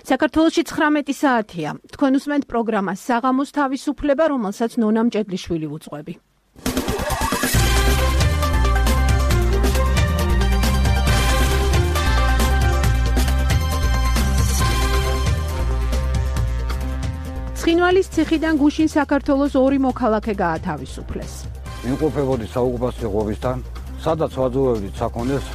საქართველოში 19 საათია. თქვენ უსმენთ პროგრამას საღამოს თავისუფლება, რომელსაც ნონა მჭედლიშვილი უძღვები. ცხინვალის ციხიდან გუშინ საქართველოს 2 მოქალაქე გაათავისუფლეს. იმყოფებოდი საოკუპაციო ღობისთან, სადაც ვაძოვებდით საქონელს.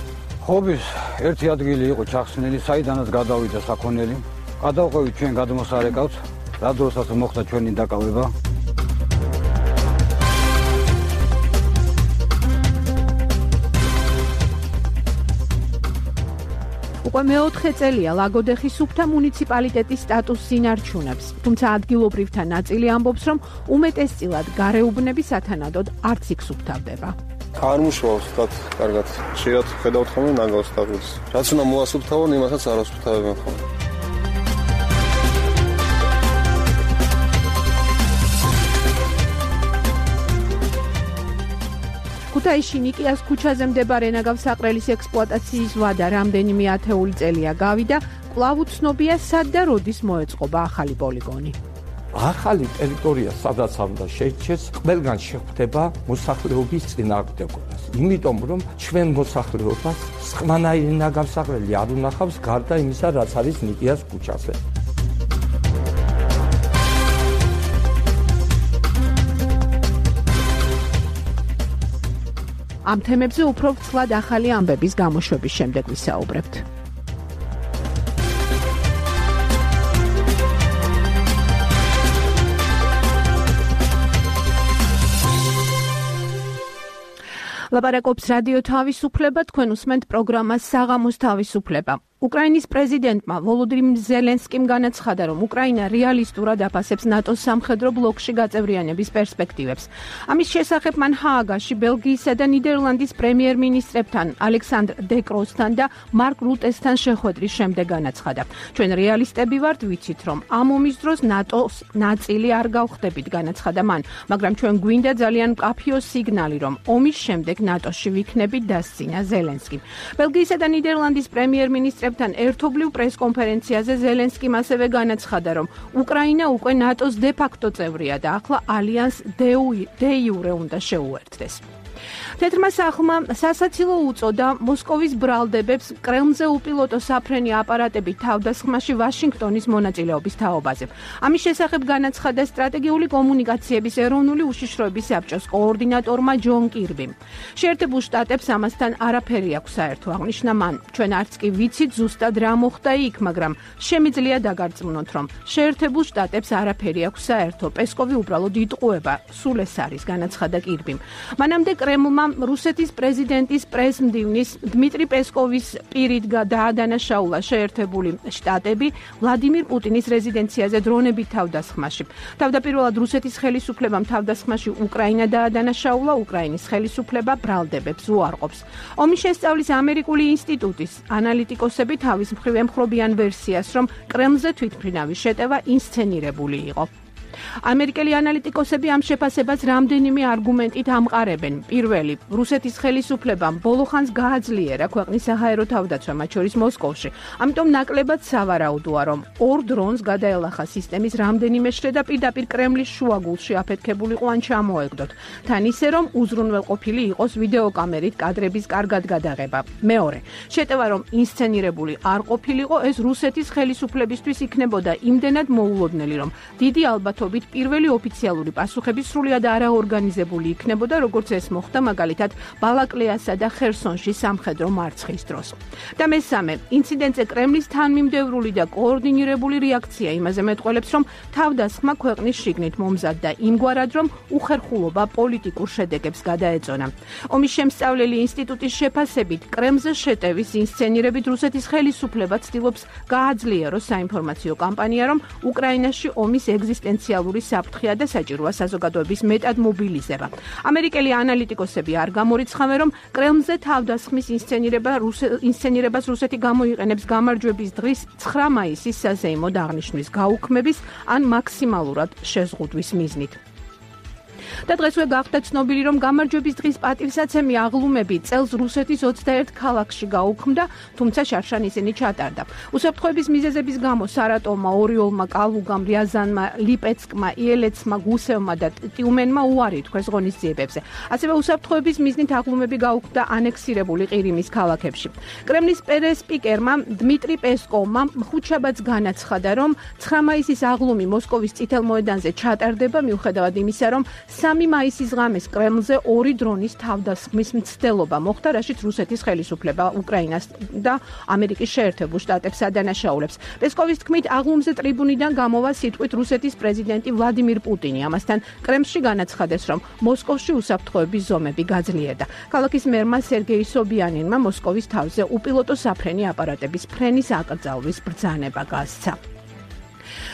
ღობის ერთი ადგილი იყო ჩახსნილი, საიდანაც გადავიდა საქონელი. გადავყევით ჩვენ გადმოსარეკავს, რა დროსაც მოხდა ჩვენი დაკავება. უკვე მეოთხე წელია ლაგოდეხის სუფთა მუნიციპალიტეტის სტატუსს ინარჩუნებს, თუმცა ადგილობრივთა ნაწილი ამბობს, რომ უმეტესწილად გარეუბნები სათანადოდ არც იქ სუფთავდება. არ მუშაობს თათ კარგად. შეიძლება ხედავთ ხოლმე ნაგავს თავს. რაც უნდა მოასუფთავონ, იმასაც არ ასუფთავებენ ხოლმე. ქუთაისში ნიკიას ქუჩაზე მდებარე ნაგავსაყრელის ექსპლუატაციის ვადა რამდენიმე ათეული წელია გავიდა, კვლავ უცნობია სად და როდის მოეწყობა ახალი პოლიგონი. ახალი ტერიტორია სადაც უნდა შეიჩეს, ყველგან შეხვდება მოსახლეობის წინააღმდეგობას. იმიტომ რომ ჩვენ მოსახლეობას სხვანაირი ნაგავსაყრელი არ უნახავს გარდა იმისა, რაც არის ნიკიას ქუჩაზე. ამ თემებზე უფრო ვცლად ახალი ამბების გამოშვების შემდეგ ვისაუბრებთ. ლაპარაკობს რადიო თავისუფლება, თქვენ უსმენთ პროგრამას საღამოს თავისუფლება. უკრაინის პრეზიდენტმა ვოლოდიმირ ზელენსკიმ განაცხადა, რომ უკრაინა რეალისტურად აფასებს ნატოს სამხედრო ბლოკში გაწევრიანების პერსპექტივებს. ამის შესახებ მან ჰააგაში ბელგიისა და ნიდერლანდის პრემიერ-მინისტრებთან, ალექსანდრ დე კროსთან და მარკ რუტესთან შეხვედრის შემდეგ განაცხადა. ჩვენ რეალისტები ვართ, ვიცით, რომ ამ ომის დროს ნატოს ნაწილი არ გავხდებით, განაცხადა მან, მაგრამ ჩვენ გვინდა ძალიან მკაფიო სიგნალი, რომ ომის შემდეგ ნატოში ვიქნებით, დასცინა ზელენსკიმ. ბელგიისა და ნიდერლანდის პრემიერ-მინისტრებთან ერთობლივ პრესკონფერენციაზე ზელენსკიმ ასევე განაცხადა, რომ უკრაინა უკვე ნატოს დე-ფაქტო წევრია და ახლა ალიანს დე-იურე უნდა შეუერთდეს. თეთრმა სახლმა სასაცილო უწოდა მოსკოვის ბრალდებებს კრემლზე უპილოტო საფრენი აპარატებით თავდასხმაში ვაშინგტონის მონაწილეობის თაობაზე. ამის შესახებ განაცხადა სტრატეგიული კომუნიკაციების ეროვნული უშიშროების საბჭოს კოორდინატორმა ჯონ კირბიმ. შეერთებულ შტატებს ამასთან არაფერი აქვს საერთო, აღნიშნა მან. ჩვენ არც კი ვიცით ზუსტად რა მოხდა იქ, მაგრამ შემიძლია დაგარწმუნოთ, რომ შეერთებულ შტატებს არაფერი აქვს საერთო. პესკოვი უბრალოდ იტყუება, სულ ეს არის, განაცხადა კირბიმ. მანამდე კრემლმა რუსეთის პრეზიდენტის პრესმდივნის დმიტრი პესკოვის პირით დაადანაშაულა შეერთებული შტატები ვლადიმირ პუტინის რეზიდენციაზე დრონებით თავდასხმაში. თავდაპირველად რუსეთის ხელისუფლებამ თავდასხმაში უკრაინა დაადანაშაულა, უკრაინის ხელისუფლება ბრალდებებს უარყოფს. ომის შესწავლის ამერიკული ინსტიტუტის ანალიტიკოსები თავის მხრივ ემხრობიან ვერსიას, რომ კრემლზე თვითმფრინავის შეტევა ინსცენირებული იყო. ამერიკელი ანალიტიკოსები ამ შეფასებას რამდენიმე არგუმენტით ამყარებენ. პირველი, რუსეთის ხელისუფლებამ ბოლოხანს გააძლიერა ქვეყნის საჰაერო თავდაცვა, მათ შორის მოსკოვში. ამიტომ ნაკლებად სავარაუდოა, რომ 2 დრონს გადაელახა სისტემის რამდენიმე შრე და პირდაპირ კრემლის შუაგულში აფეთქებულიყო ან ჩამოეგდოთ. თან ისე, რომ უზრუნველყოფილი იყოს ვიდეოკამერით კადრების კარგად გადაღება. მეორე, შეტევა რომ ინსცენირებული არ ყოფილიყო, ეს რუსეთის ხელისუფლებისთვის იქნებოდა იმდენად მოულოდნელი, რომ დიდი ალბათობით პირველი ოფიციალური პასუხები სრულად არაორგანიზებული იქნებოდა, როგორც ეს მოხდა მაგალითად ბალაკლეასა და ხერსონში სამხედრო მარცხის დროს. და მესამე, ინციდენტზე კრემლის თანმიმდევრული და კოორდინირებული რეაქცია იმაზე მეტყველებს, რომ თავდასხმა ქვეყნის შიგნით მომზადდა იმგვარად, რომ უხერხულობა პოლიტიკურ შედეგებს გადაეწონა. ომის შემსწავლელი ინსტიტუტის შეფასებით, კრემლზე შეტევის ინსცენირებით რუსეთის ხელისუფლება ცდილობს გააძლიეროს საინფორმაციო კამპანია, რომ უკრაინაში ომის ეგზისტენციალური საფრთხეა და საჭიროა საზოგადოების მეტად მობილიზება. ამერიკელი ანალიტიკოსები არ გამორიცხავენ, რომ კრემლზე თავდასხმის ინსცენირებას რუსეთი გამოიყენებს გამარჯვების დღის 9 მაისის საზეიმო აღნიშვნის გაუქმების ან მაქსიმალურად შეზღუდვის მიზნით. და დღესვე გახდა ცნობილი, რომ გამარჯვების დღის პატივსაცემი აღლუმები წელს რუსეთის 21 ქალაქში გაუქმდა, თუმცა შარშან ისინი ჩატარდა. უსაფრთხოების მიზეზების გამო სარატოვმა, ორიოლმა, კალუგამ, რიაზანმა, ლიპეცკმა, იელეცმა, გუსევმა და ტიუმენმა უარი თქვეს ღონისძიებებზე. ასევე უსაფრთხოების მიზნით აღლუმები გაუქმდა ანექსირებული ყირიმის ქალაქებში. კრემლის პრესპიკერმა დმიტრი პესკოვმა ხუთშაბათს განაცხადა, რომ 9 მაისის აღლუმი მოსკოვის წითელ მოედანზე ჩატარდება, მიუხედავად იმისა, რომ 3 მაისის ღამეს კრემლზე 2 დრონის თავდასხმის მცდელობა მოხდა, რაშიც რუსეთის ხელისუფლება უკრაინას და ამერიკის შეერთებულ შტატებს ადანაშაულებს. პესკოვის თქმით, აღლუმზე ტრიბუნიდან გამოვა სიტყვით რუსეთის პრეზიდენტი ვლადიმირ პუტინი. ამასთან კრემლში განაცხადეს, რომ მოსკოვში უსაფრთხოების ზომები გაძლიერდა. ქალაქის მერმა სერგეი სობიანინმა მოსკოვის თავზე უპილოტო საფრენი აპარატების ფრენის აკრძალვის ბრძანება გასცა.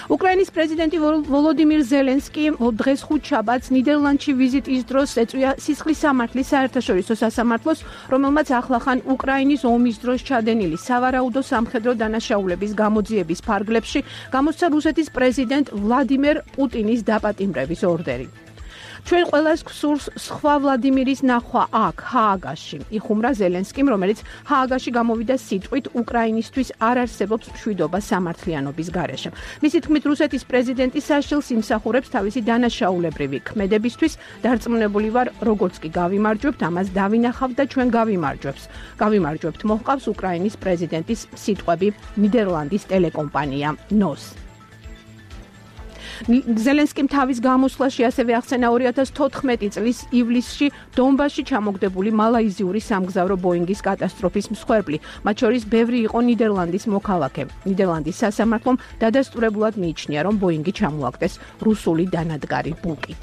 უკრაინის პრეზიდენტი ვოლოდიმირ ზელენსკი დღეს ხუთშაბათს ნიდერლანდში ვიზიტის დროს ეწვია სისხლის სამართლის საერთაშორისო სასამართლოს, რომელმაც ახლახან უკრაინის ომის დროს ჩადენილი სავარაუდო სამხედრო დანაშაულების გამოძიების ფარგლებში გამოსცა რუსეთის პრეზიდენტ ვლადიმერ პუტინის დაპატიმრების ორდერი. ჩვენ ყველას გვსურს სხვა ვლადიმირის ნახვა აქ, ჰააგაში, იხუმრა ზელენსკიმ, რომელიც ჰააგაში გამოვიდა სიტყვით უკრაინისთვის არ არსებობს მშვიდობა სამართლიანობის გარეშე. მისი თქმით, რუსეთის პრეზიდენტი საშილს იმსახურებს თავისი დანაშაულებრივი ქმედებისთვის, დარწმუნებული ვარ, როგორც კი გავიმარჯვებთ, ამას დავინახავთ და ჩვენ გავიმარჯვებთ, მოჰყავს უკრაინის პრეზიდენტის სიტყვები ნიდერლანდის ტელეკომპანია NOS. ზელენსკიმ თავის გამოსვლაში ასევე ახსენა 2014 წლის ივლისში დონბასში ჩამოგდებული მალაიზიური სამგზავრო ბოინგის კატასტროფის მსხვერპლი, მათ შორის ბევრი იყო ნიდერლანდის მოქალაქე. ნიდერლანდის სასამართლომ დადასტურებულად მიიჩნია, რომ ბოინგი ჩამოაგდეს რუსული დანადგარი ბუკით.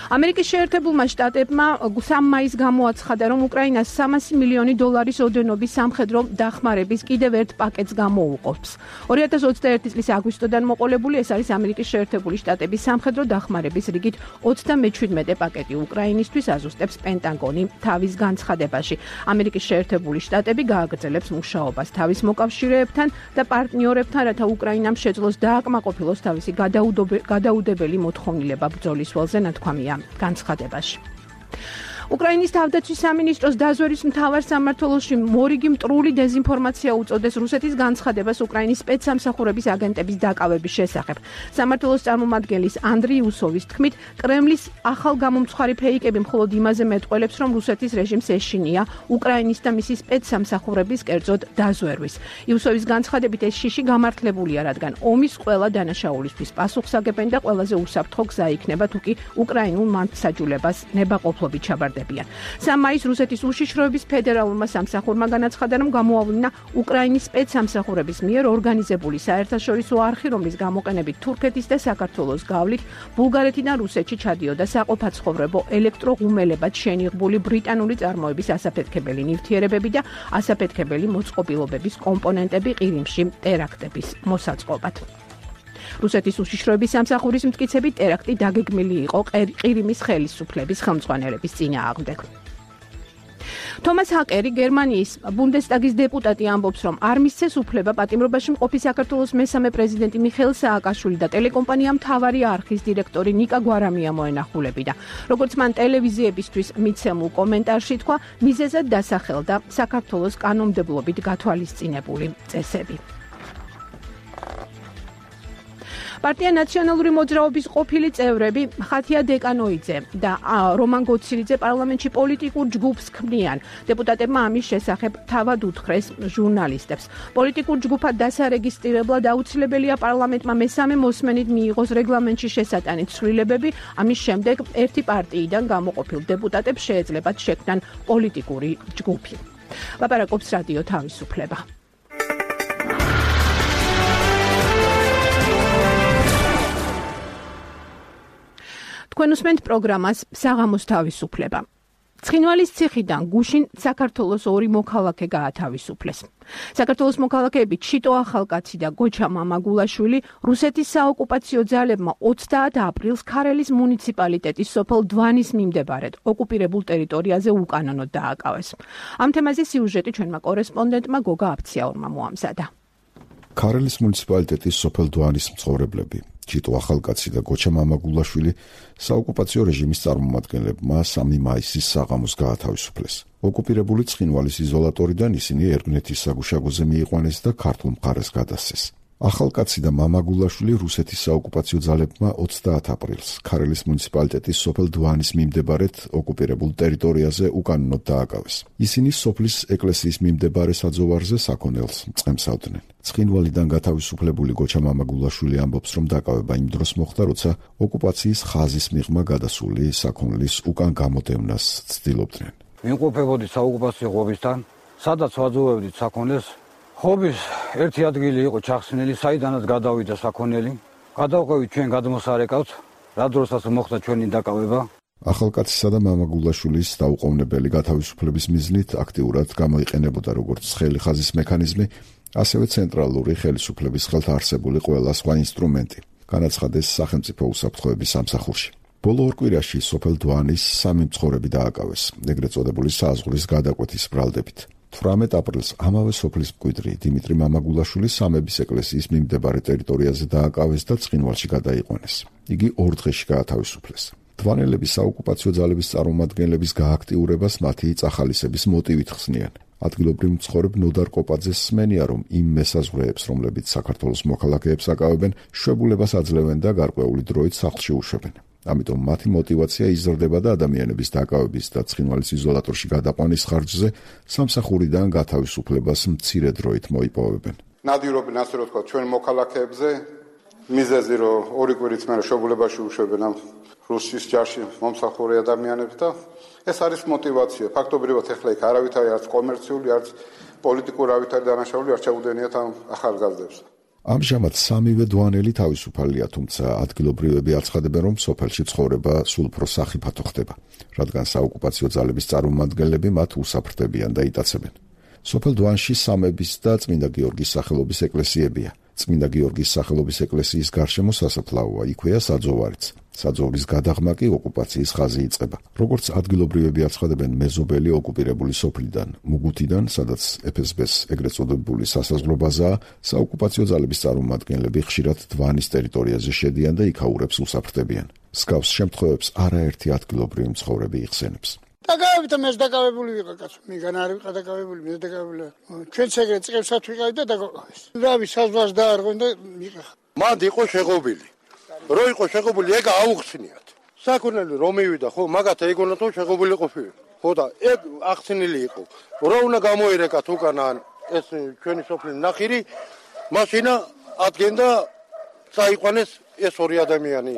ამერიკის შეერთებულმა შტატებმა 3 მაისს გამოაცხადა, რომ უკრაინას $300 მილიონი ოდენობის სამხედრო დახმარების კიდევ ერთ პაკეტს გამოუყოფს. 2021 წლის აგვისტოდან მოყოლებული ეს არის ამერიკის შეერთებული შტატების სამხედრო დახმარების რიგით 37 პაკეტი უკრაინისთვის, აზუსტებს პენტაგონი თავის განცხადებაში. ამერიკის შეერთებული შტატები გააგრძელებს მუშაობას თავის მოკავშირეებთან და პარტნიორებთან, რათა უკრაინამ შეძლოს დააკმაყოფილოს თავისი გადაუდებელი მოთხოვნილება ბრძოლის ველზე, ნათქვამია განცხადებაში. უკრაინის თავდაცვის სამინისტროს დაზვერვის მთავარ სამმართველოში მორიგი მტრული დეზინფორმაცია უწოდეს რუსეთის განცხადებას უკრაინის სპეცსამსახურების აგენტების დაკავების შესახებ. სამმართველოს წარმომადგენლის ანდრეი უსოვის თქმით, კრემლის ახალ გამომცხარი ფეიკები მხოლოდ იმაზე მეტყველებს, რომ რუსეთის რეჟიმს ეშინია უკრაინის და მისი სპეცსამსახურების კერძოდ დაზვერვის. იუსოვის განცხადებით ეს შიში გამართლებულია, რადგან ომის ყველა დანაშაულისთვის პასუხსაგებენ და ყველაზე უსაფრთხო გზა იქნება, თუკი უკრაინულ მართლმსაჯულებას ნებაყოფლობით ჩაბარდებიან. 3 მაისს რუსეთის უშიშროების ფედერალურმა სამსახურმა განაცხადა, რომ გამოავლინა უკრაინის სპეცსამსახურების მიერ ორგანიზებული საერთაშორისო არხი, რომლის გამოყენებით თურქეთის და საქართველოს გავლით ბულგარეთიდან რუსეთში ჩადიოდა საყოფაცხოვრებო ელექტროღუმელებად შენიღბული ბრიტანული წარმოების ასაფეთქებელი ნივთიერებები და ასაფეთქებელი მოწყობილობების კომპონენტები ყირიმში ტერაქტების მოსაწყობად. რუსეთის უშიშროების სამსახურის მტკიცებით ტერაქტი დაგეგმილი იყო ყირიმის ხელისუფლების ხელმძღვანელების წინააღმდეგ. თომას ჰაკერი, გერმანიის ბუნდესტაგის დეპუტატი, ამბობს, რომ არ მისცეს უფლება პატიმრობაში მყოფი საქართველოს მესამე პრეზიდენტი მიხეილ სააკაშვილი და ტელეკომპანია მთავარი არხის დირექტორი ნიკა გვარამია მოენახულებინა. როგორც მან ტელევიზიებისთვის მიცემულ კომენტარში თქვა, მიზეზად დასახელდა საქართველოს კანონმდებლობით გათვალისწინებული წესები. პარტია ნაციონალური მოძრაობის ყოფილი წევრები ხათია დეკანოიძე და რომან გოცილიძე პარლამენტში პოლიტიკურ ჯგუფს ქმნიან. დეპუტატებმა ამის შესახებ თავად უთხრეს ჟურნალისტებს. პოლიტიკურ ჯგუფად დასარეგისტრირებლად აუცილებელია პარლამენტმა მესამე მოსმენით მიიღოს რეგლამენტში შესატანით ცვლილებები. ამის შემდეგ ერთი პარტიიდან გამოყოფილ დეპუტატებს შეეძლებათ შექმნან პოლიტიკური ჯგუფი. ლაპარაკობს რადიო თავისუფლება. თქვენ უსმენთ პროგრამას საღამოს თავისუფლება. ცხინვალის ციხიდან გუშინ საქართველოს 2 მოქალაქე გაათავისუფლეს. საქართველოს მოქალაქეები ჩიტო ახალკაცი და გოჩა მამაგულაშვილი რუსეთის საოკუპაციო ძალებმა 30 აპრილს ქარელის მუნიციპალიტეტის სოფელ დვანის მიმდებარედ ოკუპირებულ ტერიტორიაზე უკანონოდ დააკავეს. ამ თემაზე სიუჟეტი ჩვენმა კორესპონდენტმა გოგა აფციაურმა მოამზადა. ქარელის მუნიციპალიტეტის სოფელ დვანის მცხოვრებლები ჩიტო ახალკაცი და გოჩა მამაგულაშვილი საოკუპაციო რეჟიმის წარმომადგენლებმა 3 მაისის საღამოს გაათავისუფლეს. ოკუპირებული ცხინვალის იზოლატორიდან ისინი ერგნეთის საგუშაგოზე მიიყვანეს და ქართულ მხარეს გადასცეს. ახალკაცი და მამაგულაშვილი რუსეთის საოკუპაციო ძალებმა 30 აპრილს ქარელის მუნიციპალიტეტის სოფელ დვანის მიმდებარედ ოკუპირებულ ტერიტორიაზე უკანონოდ დააკავეს. ისინი სოფლის ეკლესიის მიმდებარე საძოვარზე საქონელს მწყემსავდნენ. ცხინვალიდან გათავისუფლებული გოჩა მამაგულაშვილი ამბობს, რომ დაკავება იმ დროს მოხდა, როცა ოკუპაციის ხაზის მიღმა გადასული საქონლის უკან გამოდევნას ცდილობდნენ. ვიმყოფებოდი საოკუპაციო ღობისთან, სადაც ვაძოვებდით საქონელს. ხობის ერთი ადგილი იყო ჩახსნილი, საიდანაც გადავიდა საქონელი. გადავყევით ჩვენ გადმოსარეკავს, რა დროსაც მოხდა ჩვენი დაკავება. ახალკაცისა და მამაგულაშვილის დაუყოვნებელი გათავისუფლების მიზნით აქტიურად გამოიყენებოდა როგორც ცხელი ხაზის მექანიზმი, ასევე ცენტრალური ხელისუფლების ხელთ არსებული ყველა სხვა ინსტრუმენტი. განაცხადეს სახელმწიფო უსაფრთხოების სამსახურში. ბოლო ორ კვირაში სოფელ დვანის 3 მცხოვრები დააკავეს, ეგრეთ წოდებული საზღვრის გადაკვეთის ბრალდებით. 18 აპრილს ამავე სოფლის მკვიდრი დიმიტრი მამაგულაშვილი სამების ეკლესიის მიმდებარე ტერიტორიაზე დააკავეს და ცხინვალში გადაიყვანეს. იგი 2 დღეში გაათავისუფლეს. დვანელების საოკუპაციო ძალების წარმომადგენლების გააქტიურებას მათი წახალისების მოტივით ხსნიან. ადგილობრივ მცხოვრებ ნოდარ კოპაძეს სმენია, რომ იმ მესაზღვრეებს, რომლებიც საქართველოს მოქალაქეებს აკავებენ, შვებულებას აძლევენ და გარკვეული დროით სახლში უშვებენ. ამიტომ მათი мотиваცია იზრდება და ადამიანების დაკავების და ცხინვალის იზოლატორში გადაყვანის ხარჯზე სამსახურიდან გათავისუფლებას მცირე დროით მოიპოვებენ. ნადირობენ ასე რომ თქვა ჩვენ მოქალაქეებზე მიზეზი რომ 2 კვირით მერე შობულებაში უშვებენ ამ რუსის ჯარში მომსახურე ადამიანებს და ეს არის мотиваცია. ფაქტობრივად ახლა იქ არავითარი არც კომერციული, არც პოლიტიკური არავითარი დანაშაული არ შეუდენიათ ამ ახალგაზრდებს. ამჟამად 3-ვე დვანელი თავისუფალია, თუმცა ადგილობრივები აცხადებენ, რომ სოფელში ცხოვრება სულ უფრო სახიფათო ხდება, რადგან საოკუპაციო ძალების წარმომადგენლები მათ უსაფრთხოებიან და იტაცებენ. სოფელ დვანში სამების და წმინდა გიორგის სახელობის ეკლესიებია. წმინდა გიორგის სახელობის ეკლესიის გარშემო სასაფლაოა, იქვეა საძოვარიც. საძოვრის გადაღმა კი ოკუპაციის ხაზი იწყება. როგორც ადგილობრივები აცხადებენ, მეზობელი ოკუპირებული სოფლიდან, მუგუთიდან, სადაც FSB-ს ეგრეთ წოდებული სასაზღვრო ბაზაა, საოკუპაციო ძალების წარმომადგენლები ხშირად დვანის ტერიტორიაზე შედიან და იქაურებს უსაფრთხოებიან. მსგავს შემთხვევებს არაერთი ადგილობრივი მცხოვრები იხსენებს. დაკავებით და მეც დაკავებული ვიყავ კაცო. მიგან არ ვიყავ დაკავებული, მე დაკავებული. ჩვენც ეგრე წიგნებსაც ვიყავით და დაკავეს. რავი, საზღვარს დაარღვენ და მიყახ. მანდ იყო შეღობილი. რო იყო შეღობილი, ეგ აუხსნიათ. საქონელი რომ მივიდა, ხო, მაგათ ეგონა თუ შეღობილი ყოფილი. ხო და ეგ ახსნილი იყო. რო უნდა გამოირეკათ უკან ეს ჩვენი სოფლის ნახირი, მაშინა ადგენდა წაიყვანეს ეს 2 ადამიანი.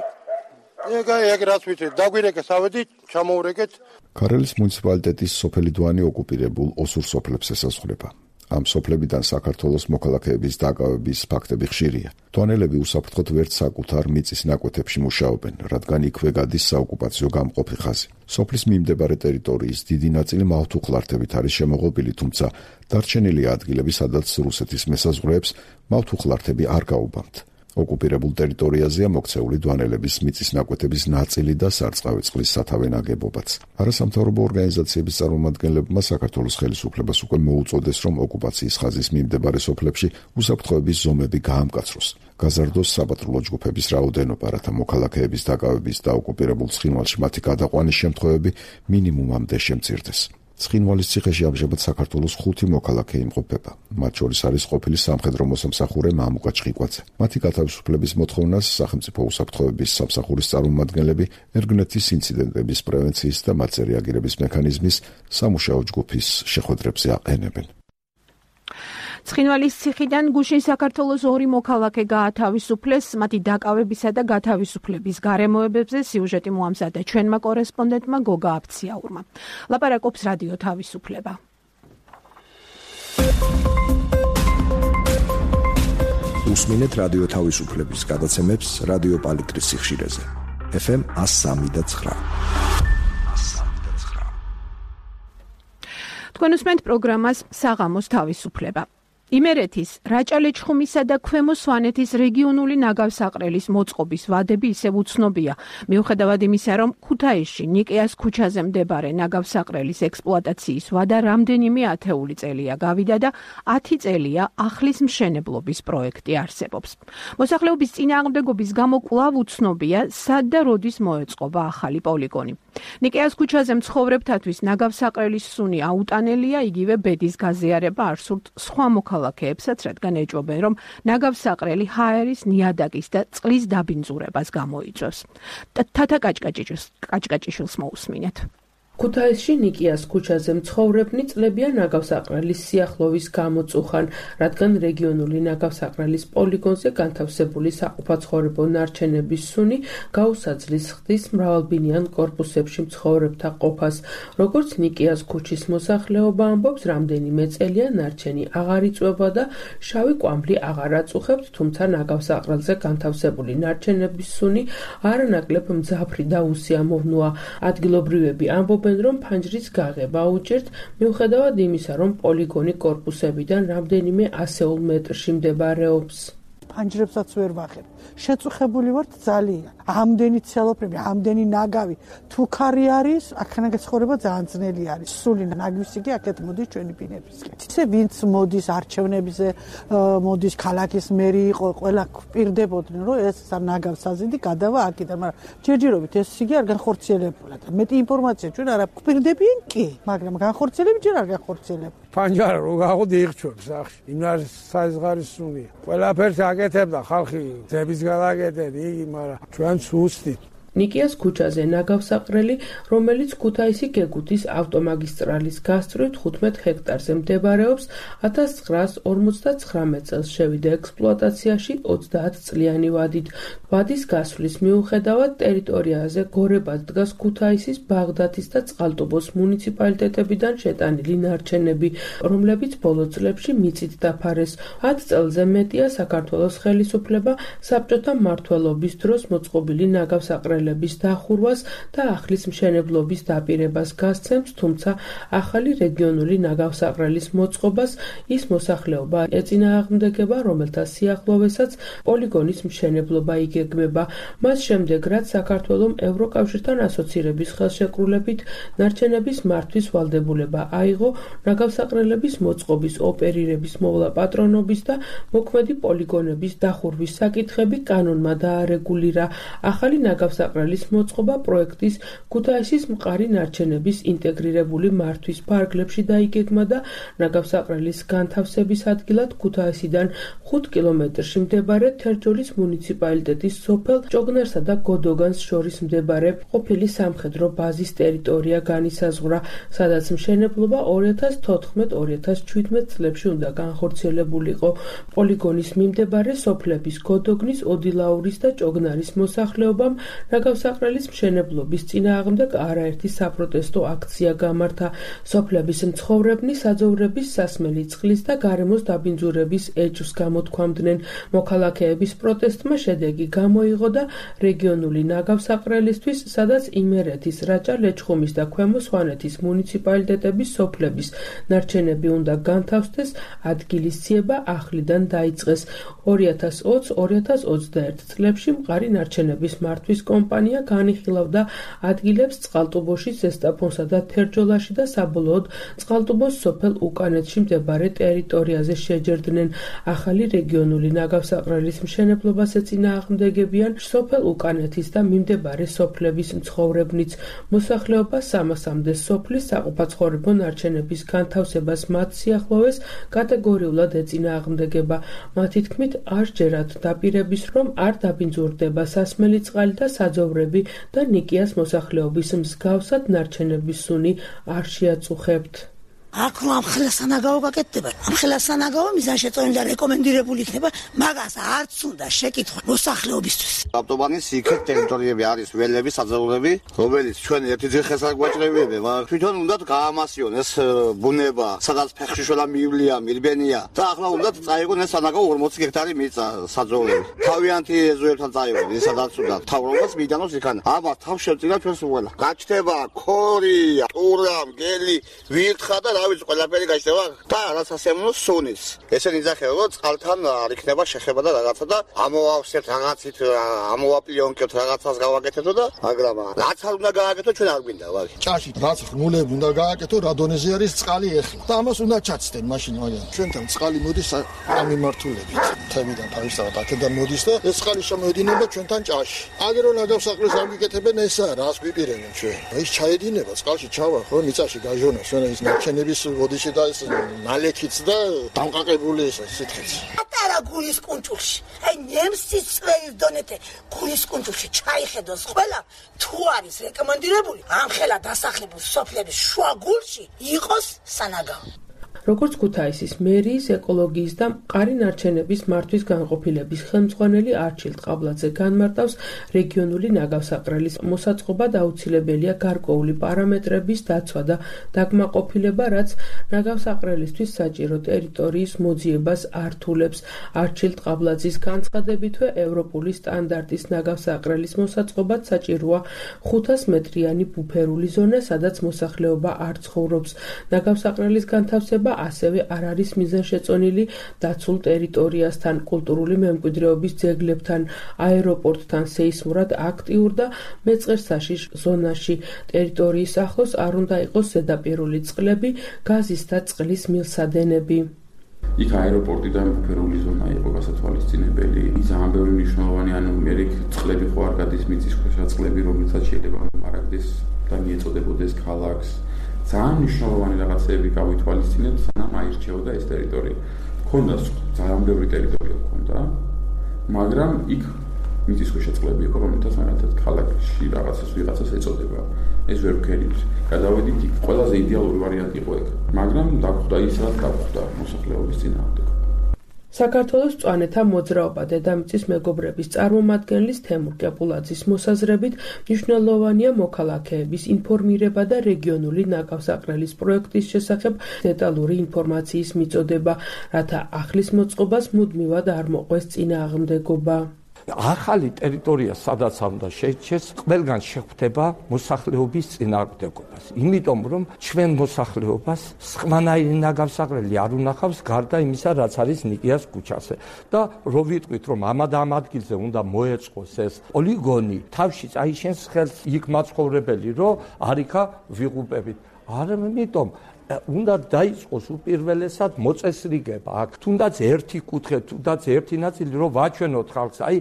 ეგ რაც ვიცი, დაგვირეკეს ავედით, ჩამოურეკეთ. ქარელის მუნიციპალიტეტის სოფელი დვანი ოკუპირებულ ოსურ სოფლებს ესაზღვრება. ამ სოფლებიდან საქართველოს მოქალაქეების დაკავების ფაქტები ხშირია. დვანელები უსაფრთხოდ ვერც საკუთარ მიწის ნაკვეთებში მუშაობენ, რადგან იქვე გადის საოკუპაციო გამყოფი ხაზი. სოფლის მიმდებარე ტერიტორიის დიდი ნაწილი მავთუხლართებით არის შემოღობილი, თუმცა დარჩენილია ადგილები, სადაც რუსეთის მესაზღვრეებს მავთუხლართები არ გაუბამთ. ოკუპირებულ ტერიტორიაზეა მოქცეული დვანელების მიწის ნაკვეთების ნაწილი და სარწყავი წყლის სათავე ნაგებობაც. არასამთავრობო ორგანიზაციების წარმომადგენლებმა საქართველოს ხელისუფლებას უკვე მოუწოდეს, რომ ოკუპაციის ხაზის მიმდებარე სოფლებში უსაფრთხოების ზომები გაამკაცროს. გაზარდოს საპატრულო ჯგუფების რაოდენობა, რათა მოქალაქეების დაკავების და ოკუპირებულ ცხინვალში მათი გადაყვანის შემთხვევები მინიმუმამდე შემცირდეს. ცხინვალის ციხეში ამჟამად საქართველოს 5 მოქალაქე იმყოფება. მათ შორის არის ყოფილი სამხედრო მოსამსახურე მამუკა ჭყიკვაძე. მათი გათავისუფლების მოთხოვნას სახელმწიფო უსაფრთხოების სამსახურის წარმომადგენლები ერგნეთის ინციდენტების პრევენციის და მათზე რეაგირების მექანიზმის სამუშაო ჯგუფის შეხვედრებზე აყენებენ. ცხინვალის ციხიდან გუშინ საქართველოს 2 მოქალაქე გაათავისუფლეს. მათი დაკავებისა და გათავისუფლების გარემოებებზე სიუჟეტი მოამზადა ჩვენმა კორესპონდენტმა გოგა აფციაურმა. ლაპარაკობს რადიო თავისუფლება. უსმინეთ რადიო თავისუფლების გადაცემებს რადიო პალიტრის სიხშირეზე. FM 103.9. თქვენ უსმენთ პროგრამას საღამოს თავისუფლება. იმერეთის, რაჭა-ლეჩხუმისა და ქვემო სვანეთის რეგიონული ნაგავსაყრელის მოწყობის ვადები ისევ უცნობია. მიუხედავად იმისა, რომ ქუთაისში ნიკეას ქუჩაზე მდებარე ნაგავსაყრელის ექსპლუატაციის ვადა რამდენიმე ათეული წელია გავიდა და 10 წელია ახლის მშენებლობის პროექტი არსებობს. მოსახლეობის წინააღმდეგობის გამო კვლავ უცნობია, სად და როდის მოეწყობა ახალი პოლიგონი. ნიკეას ქუჩაზე მცხოვრებთათვის ნაგავსაყრელის სუნი აუტანელია, იგივე ბედის გაზიარება არ სურთ სხვა მოქალაქეებსაც, რადგან ეჭვობენ, რომ ნაგავსაყრელი ჰაერის, ნიადაგის და წყლის დაბინძურებას გამოიწვევს. თათა კაჭკაჭიშვილს მოусმინეთ. ქუთაისში ნიკეას ქუჩაზე მცხოვრებნი წლებიან ნაგავსაყრელის სიახლოვის გამოწუხან, რადგან რეგიონული ნაგავსაყრელის პოლიგონზე განთავსებული საყოფაცხოვრებო ნარჩენების სუნი გაუსაძლის ხდის მრავალბინიან კორპუსებში მცხოვრებთა ყოფას. როგორც ნიკეას ქუჩის მოსახლეობა ამბობს, რამდენიმე წელია ნარჩენი აღარ იწვება და შავი კვამლი აღარ აწუხებთ, თუმცა ნაგავსაყრელზე განთავსებული ნარჩენების სუნი არანაკლებ მძაფრი და უსიამოვნოა. ადგილობრივები ამბობენ, რომ ფანჯრის გაღება უჭერთ, მიუხედავად იმისა, რომ პოლიგონი კორპუსებიდან რამდენიმე ასეულ მეტრში მდებარეობს. ფანჯრებსაც ვერ ვახებ. შეწუხებული ვართ ძალიან. ამდენი ცელოფნები, ამდენი ნაგავი, თუ ქარი არის, აქედან ცხოვრება ძალიან ძნელი არის. სული ნაგვისი კი აქეთ მოდის ჩვენი ბინებისკენ. ისე ვინც მოდის არჩევნებზე, მოდის ქალაქის მერი იყო, ყველა გვპირდებოდნენ, რომ ეს ნაგავს საზიდი გადავა აქედან, მაგრამ ჯერჯერობით ეს იგი არ განხორციელებულა. მეტი ინფორმაცია ჩვენ არ გვპირდებიან კი, მაგრამ განხორციელები ჯერ არ განხორციელებულა. ფანჯარა რო გაღოდი იხჩობს სახში. იმ არის საიზღარის სუნია. ყველაფერს აკეთებდა ხალხი, ძების გადაკეთეთ იგი, მაგრამ ჩვენ სუსტით. ნიკეას ქუჩაზე ნაგავსაყრელი, რომელიც ქუთაისი გეგუთის ავტომაგისტრალის გასწვრივ 15 ჰექტარზე მდებარეობს, 1959 წელს შევიდა ექსპლუატაციაში 30 წლიანი ვადით. ვადის გასვლის მიუხედავად ტერიტორიაზე გორებად დგას ქუთაისის, ბაღდათის და წყალტუბოს მუნიციპალიტეტებიდან შეტანილი ნარჩენები, რომლებიც ბოლო წლებში მიწით დაფარეს. 10 წელზე მეტია საქართველოს ხელისუფლება საბჭოთა მმართველობის დროს მოწყობილი ნაგავსაყრელი დახურვას და ახლის მშენებლობის დაპირებას გასცემს, თუმცა ახალი რეგიონული ნაგავსაყრელის მოწყობას ის მოსახლეობა ეწინააღმდეგება, რომელთა სიახლოვესაც პოლიგონის მშენებლობა იგეგმება. მას შემდეგ, რაც საქართველომ ევროკავშირთან ასოცირების ხელშეკრულებით ნარჩენების მართვის ვალდებულება აიღო, ნაგავსაყრელების მოწყობის, ოპერირების, მოვლა პატრონობის და მოქმედი პოლიგონების დახურვის საკითხები კანონმა დაარეგულირა. ახალი ნაგავსაყრელის მოწყობა პროექტის ქუთაისის მყარი ნარჩენების ინტეგრირებული მართვის ფარგლებში დაიგეგმა და ნაგავსაყრელის განთავსების ადგილად ქუთაისიდან 5 კილომეტრში მდებარე თერჯოლის მუნიციპალიტეტის სოფელ ჭოგნერსა და გოდოგანს შორის მდებარე ყოფილი სამხედრო ბაზის ტერიტორია განისაზღვრა, სადაც მშენებლობა 2014-2017 წლებში უნდა განხორციელებულიყო. პოლიგონის მიმდებარე სოფლების გოდოგნის, ოდილაურის და ჭოგნარის მოსახლეობამ ნაგავსაყრელის მშენებლობის წინააღმდეგ არაერთი საპროტესტო აქცია გამართა. სოფლების მცხოვრებნი საძოვრების, სასმელი წყლის და გარემოს დაბინძურების ეჭვს გამოთქვამდნენ. მოქალაქეების პროტესტმა შედეგი გამოიღო და რეგიონული ნაგავსაყრელისთვის, სადაც იმერეთის, რაჭა-ლეჩხუმის და ქვემო სვანეთის მუნიციპალიტეტების სოფლების ნარჩენები უნდა განთავსდეს, ადგილის ძიება ახლიდან დაიწყეს. 2020-2021 წლებში მყარი ნარჩენების მართვის კომპანია განიხილავდა ადგილებს წყალტუბოში, ზესტაფონსა და თერჯოლაში და საბოლოოდ წყალტუბოს სოფელ უკანეთში მდებარე ტერიტორიაზე შეჯერდნენ. ახალი რეგიონული ნაგავსაყრელის მშენებლობას ეწინააღმდეგებიან სოფელ უკანეთის და მიმდებარე სოფლების მცხოვრებნიც. მოსახლეობა 300-მდე სოფლის საყოფაცხოვრებო ნარჩენების განთავსებას მათ სიახლოვეს კატეგორიულად ეწინააღმდეგება. მათი თქმით, არ ჯერათ დაპირების, რომ არ დაბინძურდება სასმელი წყალი და საძოვრები და ნიკეას მოსახლეობის მსგავსად ნარჩენების სუნი არ შეაწუხებთ. აქ ამ ხელსანაგაო გაკეთდება. ამ ხელსანაგაო მიზანშეწონილი და რეკომენდირებული იქნება, მაგას არც უნდა შეკითხვა მოსახლეობისთვის. ავტობანის იქეთ ტერიტორიები არის ველები, საძოვრები, რომელიც ჩვენ ერთი ძირხეს არ გვაჭრევიები, მაგრამ თვითონ უნდა გაამასიონ ეს ბუნება, სადაც ფეხშიშველა მივლია, მილბენია და ახლა უნდა წაიღონ ეს სანაგაო 40 ჰექტარი მიწა საძოვრები. თავიანთი ეზოებთან წაიღონ, სადაც უნდა თავრობას მიდანოს იქან. აბა თავ შევწირა ჩვენს უელა. გაჩნდება ქორი, ტურა, მგელი, ვირთხა და რა ვიცი ყველაფერი გაჩნდება და რაც ასემნო სუნის. ესენი იძახება რომ წყალთან არ იქნება შეხება და რაღაცა და ამოვავსებთ რაღაცით ამოვაპლიონკებთ რაღაცას გავაკეთებთ და მაგრამ რაც არ უნდა გააკეთო ჩვენ არ გვინდა ვაგი. ჭაში რაც ხმულები უნდა გააკეთო რა დონეზე არის წყალი ეხლა და ამას უნდა ჩაცდენ მაშინ მაგრამ ჩვენთან წყალი მოდის ამ მიმართულებით თემიდან თავისთავად აქედან მოდის და ეს წყალი შემოედინება ჩვენთან ჭაში. აგერო ნაგავსაყრელს არ გიკეთებენ ესა რას გვიპირებენ ჩვენ. ის ჩაედინება წყალში ჩავა ხო მიწაში გაჟონოს რა ის ნარჩენების ოდიში და ეს ნალექიც და დამყაყებული ეს სითხეც. პატარა გულის კუნჭულში აი ნემსის წვერის დონეთე გულის კუნჭულში ჩაიხედოს ყველა თუ არის რეკომენდირებული ამხელა დასახლებულ სოფლების შუაგულში იყოს სანაგავო. როგორც ქუთაისის მერიის ეკოლოგიის და მყარი ნარჩენების მართვის განყოფილების ხელმძღვანელი არჩილ ყაბლაძე განმარტავს, რეგიონული ნაგავსაყრელის მოსაწყობად აუცილებელია გარკვეული პარამეტრების დაცვა და დაკმაყოფილება, რაც ნაგავსაყრელისთვის საჭირო ტერიტორიის მოძიებას ართულებს. არჩილ ყაბლაძის განცხადებითვე ევროპული სტანდარტის ნაგავსაყრელის მოსაწყობად საჭიროა 500 მეტრიანი ბუფერული ზონა, სადაც მოსახლეობა არ ცხოვრობს. ნაგავსაყრელის განთავსება ასევე არ არის მიზანშეწონილი დაცულ ტერიტორიასთან, კულტურული მემკვიდრეობის ძეგლებთან, აეროპორტთან, სეისმურად აქტიურ და მეწყერსაშიშ ზონაში. ტერიტორიის ახლოს არ უნდა იყოს ზედაპირული წყლები, გაზის და წყლის მილსადენები. იქ აეროპორტი და ბუფერული ზონა იყო გასათვალისწინებელი. ძალიან ბევრი მნიშვნელოვანი ანუ მერიქ წყლები ხო არ გადის მიწისქვეშა წყლები, რომელსაც შეიძლება მარაგდეს და მიეწოდებოდეს ქალაქს. ძალიან მნიშვნელოვანი რაღაცები გავითვალისწინებთ, სანამ აირჩეოდა ეს ტერიტორია. ქონდა ძალიან ბევრი ტერიტორია ქონდა, მაგრამ იქ მიწისქვეშა წყლები იყო, რომელთაც მაგალითად ქალაქში რაღაცას ვიღაცას ეწოდება. ეს ვერ ვქერით. გადავედით იქ, ყველაზე იდეალური ვარიანტი იყო ეგ, მაგრამ დაგხვდა ის, რაც დაგხვდა მოსახლეობის წინააღმდეგ. საქართველოს მწვანეთა მოძრაობა დედამიწის მეგობრების წარმომადგენლის თემურ კეპულაძის მოსაზრებით მნიშვნელოვანია მოქალაქეების ინფორმირება და რეგიონული ნაგავსაყრელის პროექტის შესახებ დეტალური ინფორმაციის მიწოდება, რათა ახლის მოწყობას მუდმივად არ მოყვეს წინააღმდეგობა. ახალი ტერიტორია, სადაც უნდა შეიჩეს, ყველგან შეხვდება მოსახლეობის წინააღმდეგობას. იმიტომ რომ ჩვენ მოსახლეობას სხვანაირი ნაგავსაყრელი არ უნახავს გარდა იმისა, რაც არის ნიკიას ქუჩაზე. და რო ვიტყვით, რომ ამ ადგილზე უნდა მოეწყოს ეს პოლიგონი, თავში წაიშენს ხელს იქ მაცხოვრებელი, რომ არიქა ვიღუპებით. ამიტომ უნდა დაიწყოს უპირველესად მოწესრიგება აქ, თუნდაც ერთი კუთხე, თუნდაც ერთი ნაწილი, რომ ვაჩვენოთ ხალხს, აი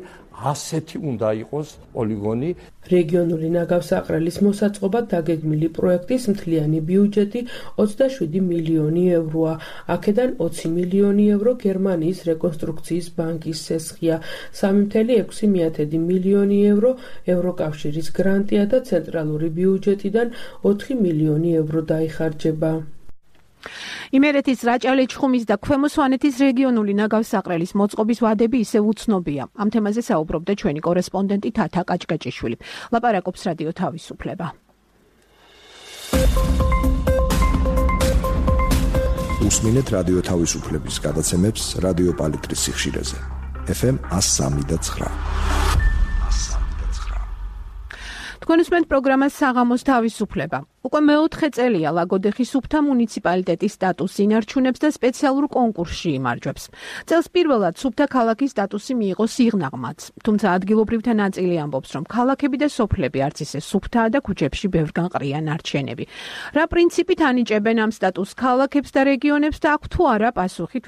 ასეთი უნდა იყოს პოლიგონი. რეგიონული ნაგავსაყრელის მოსაწყობად დაგეგმილი პროექტის მთლიანი ბიუჯეტი 27 მილიონი ევროა. აქედან 20 მილიონი евро გერმანიის რეკონსტრუქციის ბანკის სესხია, 3,6 მილიონი евро ევროკავშირის გრანტია და ცენტრალური ბიუჯეტიდან 4 მილიონი евро დაიხარჯება. იმერეთის რაჭა-ლეჩხუმის და ქვემო სვანეთის რეგიონული ნაგავსაყრელის მოწყობის ვადები ისევ უცნობია. ამ თემაზე საუბრობდა ჩვენი კორესპონდენტი თათა კაჭკაჭიშვილი. ლაპარაკობს რადიო თავისუფლება. უსმინეთ რადიო თავისუფლების გადაცემებს რადიო პალიტრის სიხშირეზე. FM 103.9. თქვენ უსმენთ პროგრამას საღამოს თავისუფლება. უკვე მეოთხე წელია ლაგოდეხის სუფთა მუნიციპალიტეტის სტატუსი ინარჩუნებს და სპეციალურ კონკურსში იმარჯვებს. წელს პირველად სუფთა ქალაქის სტატუსი მიიღო სიღნაღმაც, თუმცა ადგილობრივთა ნაწილი ამბობს, რომ ქალაქები და სოფლები არც ისე სუფთაა და ქუჩებში ბევრგან ყრია ნარჩენები. რა პრინციპით ანიჭებენ ამ სტატუსს ქალაქებს და რეგიონებს და აქვს თუ არა პასუხი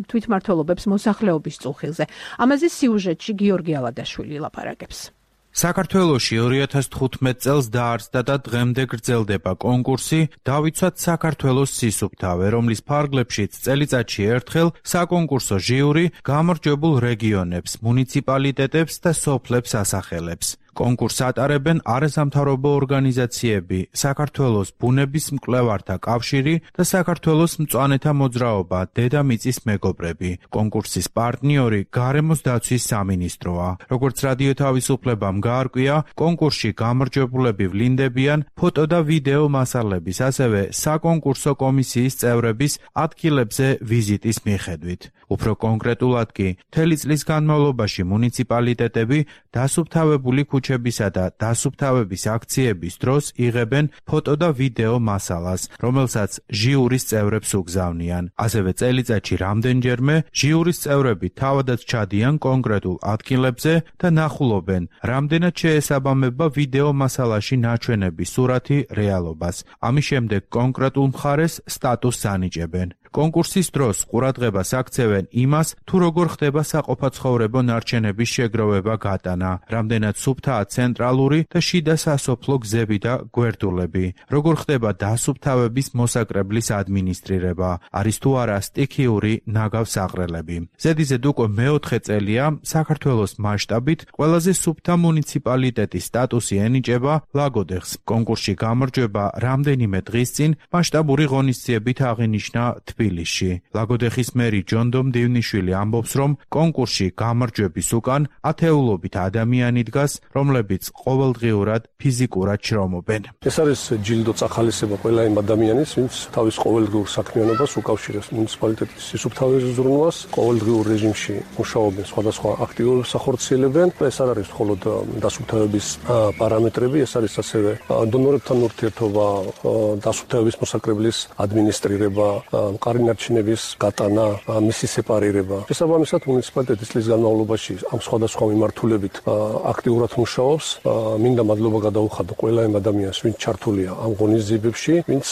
თვითმმართველობებს მოსახლეობის წუხილზე. ამაზე სიუჟეტში გიორგი ალადაშვილი ლაპარაკებს. საქართველოში 2015 წელს დაარსდა და დღემდე გრძელდება კონკურსი დავიცვათ საქართველოს სისუფთავე, რომლის ფარგლებშიც წელიწადში ერთხელ საკონკურსო ჟიური გამარჯვებულ რეგიონებს, მუნიციპალიტეტებს და სოფლებს ასახელებს. კონკურსს ატარებენ არასამთავრობო ორგანიზაციები, საქართველოს ბუნების მკვლევართა კავშირი და საქართველოს მწვანეთა მოძრაობა დედამიწის მეგობრები. კონკურსის პარტნიორი გარემოს დაცვის სამინისტროა. როგორც რადიო თავისუფლებამ გაარკვია, კონკურსში გამარჯვებულები ვლინდებიან ფოტო და ვიდეო მასალების, ასევე საკონკურსო კომისიის წევრების ადგილებზე ვიზიტის მიხედვით. უფრო კონკრეტულად კი, მთელი წლის განმავლობაში მუნიციპალიტეტები დასუფთავებული ქუჩებისა და დასუფთავების აქციების დროს იღებენ ფოტო და ვიდეო მასალას, რომელსაც ჟიურის წევრებს უგზავნიან. ასევე წელიწადში რამდენჯერმე ჟიურის წევრები თავადაც ჩადიან კონკრეტულ ადგილებზე და ნახულობენ, რამდენად შეესაბამება ვიდეო მასალაში ნაჩვენების სურათი რეალობას. ამის შემდეგ კონკრეტულ მხარეს სტატუსს ანიჭებენ. კონკურსის დროს ყურადღებას აქცევენ იმას, თუ როგორ ხდება საყოფაცხოვრებო ნარჩენების შეგროვება გატანა, რამდენად სუფთაა ცენტრალური და შიდა სასოფლო გზები და გვერდულები, როგორ ხდება დასუფთავების მოსაკრებლის ადმინისტრირება, არის თუ არა სტიქიური ნაგავსაღრელები. ზედიზედ უკვე მეოთხე წელია საქართველოს მასშტაბით ყველაზე სუფთა მუნიციპალიტეტის სტატუსი ენიჭება ლაგოდეხს. კონკურსში გამარჯვება რამდენიმე დღის წინ მასშტაბური ღონისძიებით აღინიშნა თბილისში. ლაგოდეხის მერი ჯონდომ დივნიშვილი ამბობს, რომ კონკურსში გამარჯვების უკან ათეულობით ადამიანი დგას, რომლებიც ყოველდღიურად ფიზიკურად შრომობენ. ეს არის ჯილდო წახალისება ყველა იმ ადამიანის, ვინც თავის ყოველდღიურ საქმიანობას უკავშირებს მუნიციპალიტეტის სისუფთავების ზრუნვას, ყოველდღიურ რეჟიმში მუშაობენ, სხვადასხვა აქტივობებს ახორციელებენ. ეს არ არის მხოლოდ დასუფთავების პარამეტრები, ეს არის ასევე დონორებთან ურთიერთობა, დასუფთავების მოსაკრებლის ადმინისტრირება, მყარი-ნარჩენების გატანა, მისი სეპარირება. შესაბამისად, მუნიციპალიტეტის წლის განმავლობაში ამ სხვადასხვა მიმართულებით აქტიურად მუშაობს. მინდა მადლობა გადაუხადო ყველა იმ ადამიანს, ვინც ჩართულია ამ ღონისძიებებში, ვინც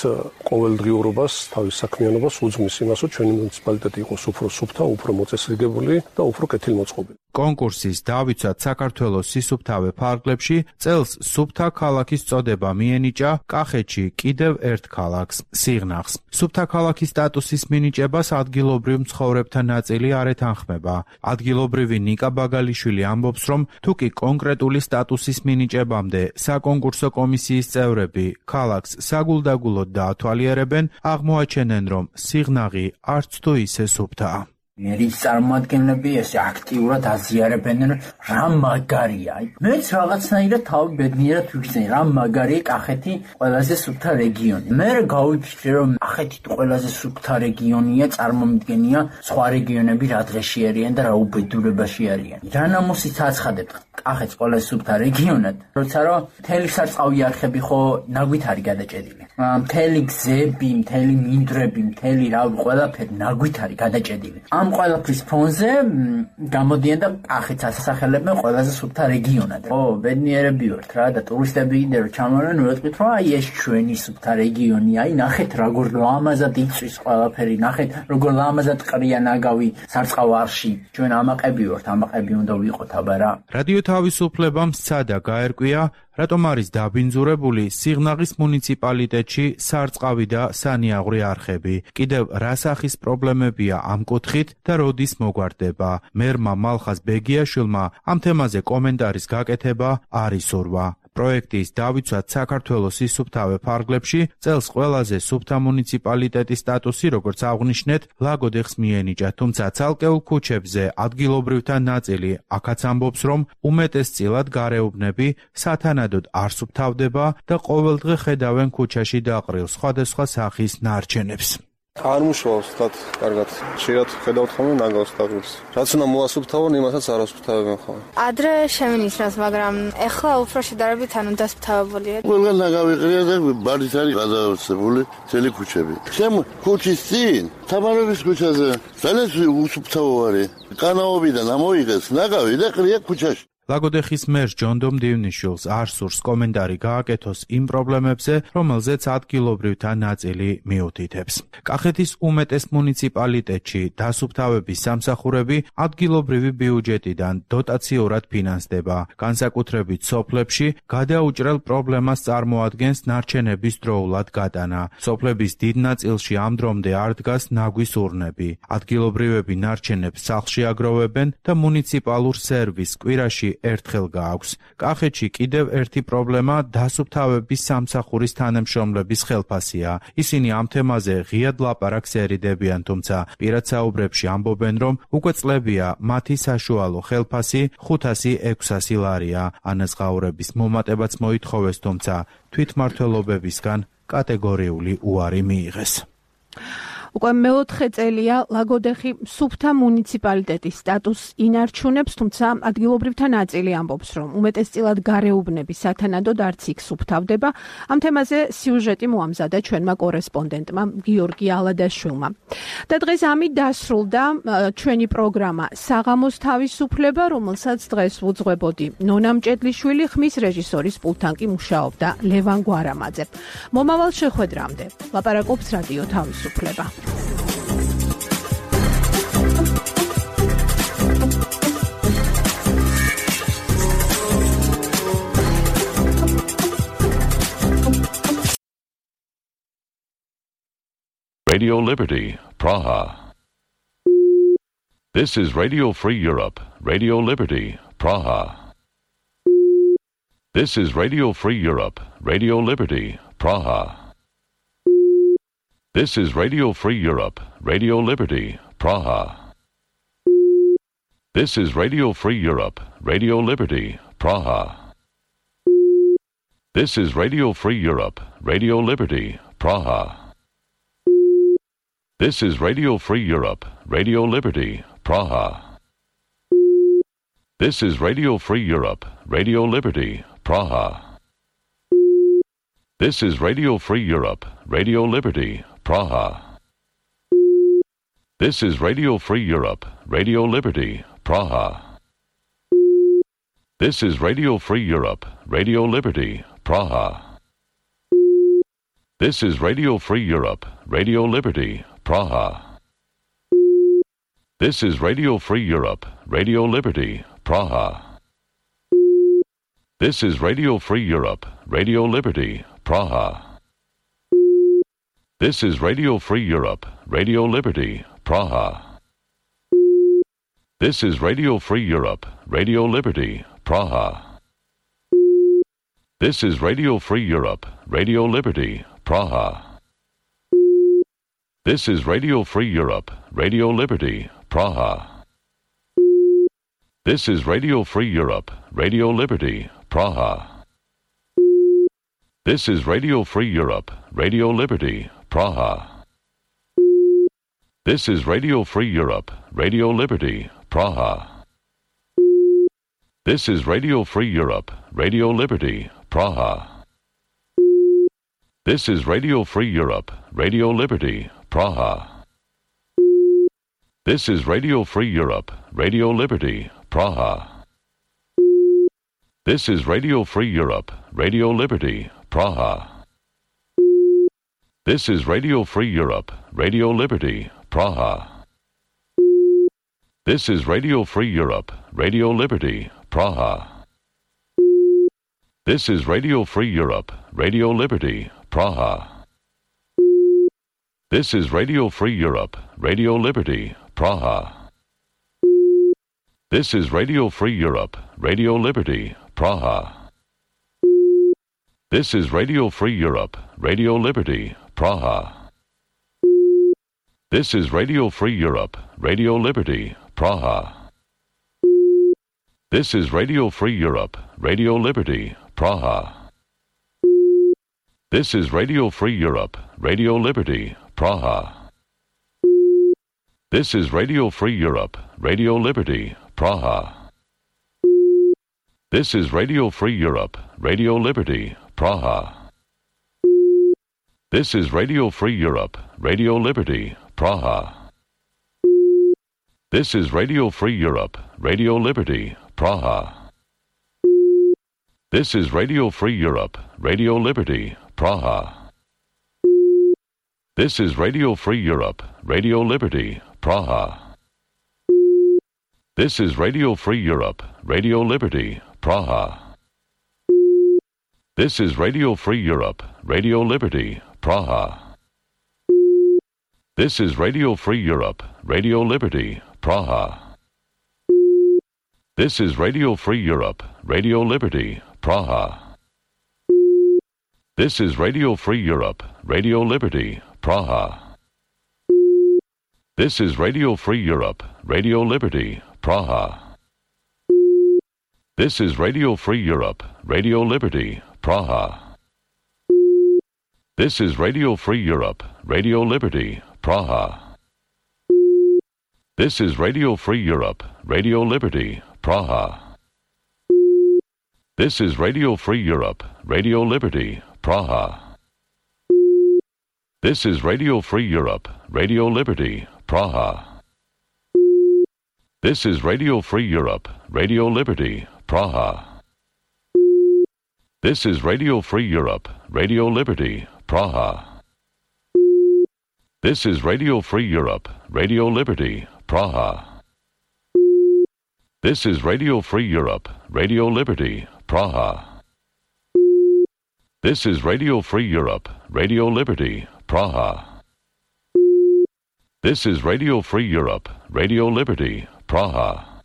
ყოველდღიურობას, თავის საქმიანობას უძღვნის იმას, რომ ჩვენი მუნიციპალიტეტი იყოს უფრო სუფთა, უფრო მოწესრიგებული და უფრო კეთილმოწყობილი. კონკურსის დავიცვათ საქართველოს სისუფთავე ფარგლებში წელს სუფთა ქალაქის წოდება მიენიჭა კახეთში კიდევ ერთ ქალაქს, სიღნაღს. სუფთა ქალაქის სტატუსის მინიჭებას ადგილობრივ მცხოვრებთა ნაწილი არ ეთანხმება. ადგილობრივი ნიკა ბაგალიშვილი ამბობს, რომ თუკი კონკრეტული სტატუსის მინიჭებამდე საკონკურსო კომისიის წევრები ქალაქს საგულდაგულოდ დაათვალიერებენ, აღმოაჩენენ, რომ სიღნაღი არც თუ ისე სუფთაა. მერის წარმომადგენლები ესე აქტიურად აზიარებენ, რა მაგარია. მეც რაღაცნაირად თავი ბედნიერად ვიქცენ, რა მაგარია კახეთი ყველაზე სუფთა რეგიონი. მე გავიფიქრე, რომ კახეთი ყველაზე სუფთა რეგიონია, წარმომადგენია სხვა რეგიონები რა დღეში არიან და რა უბედურებაში არიან. რა ნამოსით აცხადებთ კახეთს ყველაზე სუფთა რეგიონად, როცა რომ მთელი სარწყავი არხები ხო ნაგვით არის გადაჭედილი. მთელი გზები, მთელი მინდვრები, მთელი ყველაფერი ნაგვით არის გადაჭედილი. ამ ყველაფრის ფონზე გამოდიან და კახეთს ასახელებენ ყველაზე სუფთა რეგიონად. ო, ბედნიერები ვართ რა და ტურისტები კიდე რომ ჩამოვარენ, ვეტყვით რომ აი ეს ჩვენი სუფთა რეგიონი, აი ნახეთ როგორ ლამაზად იწვის ყველაფერი, ნახეთ როგორ ლამაზად ყრია ნაგავი სარწყავ არხში. ჩვენ ამაყები ვართ, ამაყები უნდა ვიყოთ აბა რა. რადიო თავისუფლებამ სცადა გაერკვია, რატომ არის დაბინძურებული სიღნაღის მუნიციპალიტეტში სარწყავი და სანიაღვრე არხები. კიდევ რა სახის პრობლემებია ამ კუთხით და როდის მოგვარდება. მერმა მალხაზ ბეგიაშვილმა ამ თემაზე კომენტარის გაკეთება არ ისურვა. პროექტის დავიცვათ საქართველოს სისუფთავე ფარგლებში წელს ყველაზე სუფთა მუნიციპალიტეტის სტატუსი, როგორც აღნიშნეთ, ლაგოდეხს მიენიჭა, თუმცა ცალკეულ ქუჩებზე ადგილობრივთა ნაწილი აქაც ამბობს, რომ უმეტესწილად გარეუბნები სათანადოდ არ სუფთავდება და ყოველდღე ხედავენ ქუჩაში დაყრილ სხვადასხვა სახის ნარჩენებს. არ მუშაობს თათ კარგად. შეიძლება ხედავთ ხოლმე ნაგავს თავს. რაც უნდა მოასუფთავონ, იმასაც არ ასუფთავებენ ხოლმე. ადრე შემინისნას, მაგრამ ეხლა უფრო შედარებით ანუ დასუფთავებულია. ყველგან ნაგავი ყრია და ბარით არის გადაოცებული ძელი ქუჩები. შემ ქუჩის წინ თამარების ქუჩაზე ძალიან უსუფთავო არის. კანაობიდან ამოიღეს ნაგავი და ყრია ქუჩაში. ლაგოდეხის მერს ჯონდომ დივნიშვილს არ სურს კომენტარი გააკეთოს იმ პრობლემებზე, რომელზეც ადგილობრივთა ნაწილი მიუთითებს. კახეთის უმეტეს მუნიციპალიტეტში დასუფთავების სამსახურები ადგილობრივი ბიუჯეტიდან დოტაციურად ფინანსდება. განსაკუთრებით სოფლებში გადაუჭრელ პრობლემას წარმოადგენს ნარჩენების დროულად გატანა. სოფლების დიდ ნაწილში ამ დრომდე არ დგას ნაგვის ურნები. ადგილობრივები ნარჩენებს სახლში აგროვებენ და მუნიციპალურ სერვისს კვირაში ერთხელ გააქვს. კახეთში კიდევ ერთი პრობლემა დასუფთავების სამსახურის თანამშრომლების ხელფასია. ისინი ამ თემაზე ღიად ლაპარაკს ერიდებიან, თუმცა პირად საუბრებში ამბობენ, რომ უკვე წლებია მათი საშუალო ხელფასი 500-600 ლარია. ანაზღაურების მომატებაც მოითხოვეს, თუმცა თვითმმართველობებისგან კატეგორიული უარი მიიღეს. უკვე მეოთხე წელია ლაგოდეხი სუფთა მუნიციპალიტეტის სტატუსს ინარჩუნებს, თუმცა ადგილობრივთა ნაწილი ამბობს, რომ უმეტესწილად გარეუბნები სათანადოდ არც იქ სუფთავდება. ამ თემაზე სიუჟეტი მოამზადა ჩვენმა კორესპონდენტმა გიორგი ალადაშვილმა. და დღეს ამით დასრულდა ჩვენი პროგრამა საღამოს თავისუფლება, რომელსაც დღეს ვუძღვებოდი ნონა მჭედლიშვილი, ხმის რეჟისორის პულტთან კი მუშაობდა ლევან გვარამაძე. მომავალ შეხვედრამდე ლაპარაკობს რადიო თავისუფლება. Radio Liberty, Praha. This is Radio Free Europe, Radio Liberty, Praha. This is Radio Free Europe, Radio Liberty, Praha. This is Radio Free Europe, Radio Liberty, Praha. This is Radio Free Europe, Radio Liberty, Praha. This is Radio Free Europe, Radio Liberty, Praha. This is Radio Free Europe, Radio Liberty, Praha. This is Radio Free Europe, Radio Liberty, Praha. This is Radio Free Europe, Radio Liberty, Praha. This is Radio Free Europe, Radio Liberty, Praha. This is Radio Free Europe, Radio Liberty, Praha. This is Radio Free Europe, Radio Liberty, Praha. This is Radio Free Europe, Radio Liberty, Praha. This is Radio Free Europe, Radio Liberty, Praha. This is Radio Free Europe, Radio Liberty, Praha. This is Radio Free Europe, Radio Liberty, Praha. This is Radio Free Europe, Radio Liberty, Praha. This is Radio Free Europe, Radio Liberty, Praha. This is Radio Free Europe, Radio Liberty, Praha. This is Radio Free Europe, Radio Liberty, Praha. This is Radio Free Europe, Radio Liberty, Praha. This is Radio Free Europe, Radio Liberty, Praha. This is Radio Free Europe, Radio Liberty, Praha. This is Radio Free Europe, Radio Liberty, Praha. This is Radio Free Europe, Radio Liberty, Praha. This is Radio Free Europe, Radio Liberty, Praha. This is Radio Free Europe, Radio Liberty, Praha. This is Radio Free Europe, Radio Liberty, Praha. This is Radio Free Europe, Radio Liberty, Praha. This is Radio Free Europe, Radio Liberty, Praha. This is Radio Free Europe, Radio Liberty, Praha. This is Radio Free Europe, Radio Liberty, Praha. This is Radio Free Europe, Radio Liberty, Praha. This is Radio Free Europe, Radio Liberty, Praha. This is Radio Free Europe, Radio Liberty, Praha. This is Radio Free Europe, Radio Liberty, Praha. This is Radio Free Europe, Radio Liberty, Praha. This is Radio Free Europe, Radio Liberty, Praha. This is Radio Free Europe, Radio Liberty, Praha. This is Radio Free Europe, Radio Liberty, Praha. This is Radio Free Europe, Radio Liberty, Praha. This is Radio Free Europe, Radio Liberty, Praha. This is Radio Free Europe, Radio Liberty, Praha. This is Radio Free Europe, Radio Liberty, Praha. This is Radio Free Europe, Radio Liberty, Praha. This is Radio Free Europe, Radio Liberty, Praha. This is Radio Free Europe, Radio Liberty, Praha. This is Radio Free Europe, Radio Liberty, Praha. This is Radio Free Europe, Radio Liberty, Praha. This is Radio Free Europe, Radio Liberty, Praha. This is Radio Free Europe, Radio Liberty, Praha. This is Radio Free Europe, Radio Liberty, Praha. This is Radio Free Europe, Radio Liberty, Praha. This is Radio Free Europe, Radio Liberty, Praha. This is Radio Free Europe, Radio Liberty, Praha. This is Radio Free Europe, Radio Liberty, Praha. This is Radio Free Europe, Radio Liberty, Praha.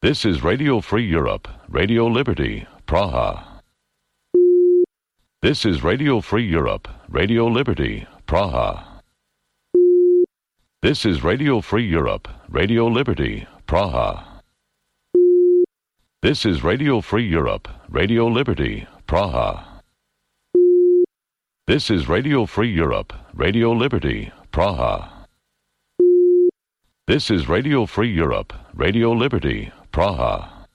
This is Radio Free Europe, Radio Liberty, Praha. This is Radio Free Europe, Radio Liberty, Praha. This is Radio Free Europe, Radio Liberty, Praha. This is Radio Free Europe, Radio Liberty, Praha. This is Radio Free Europe, Radio Liberty, Praha. This is Radio Free Europe, Radio Liberty, Praha.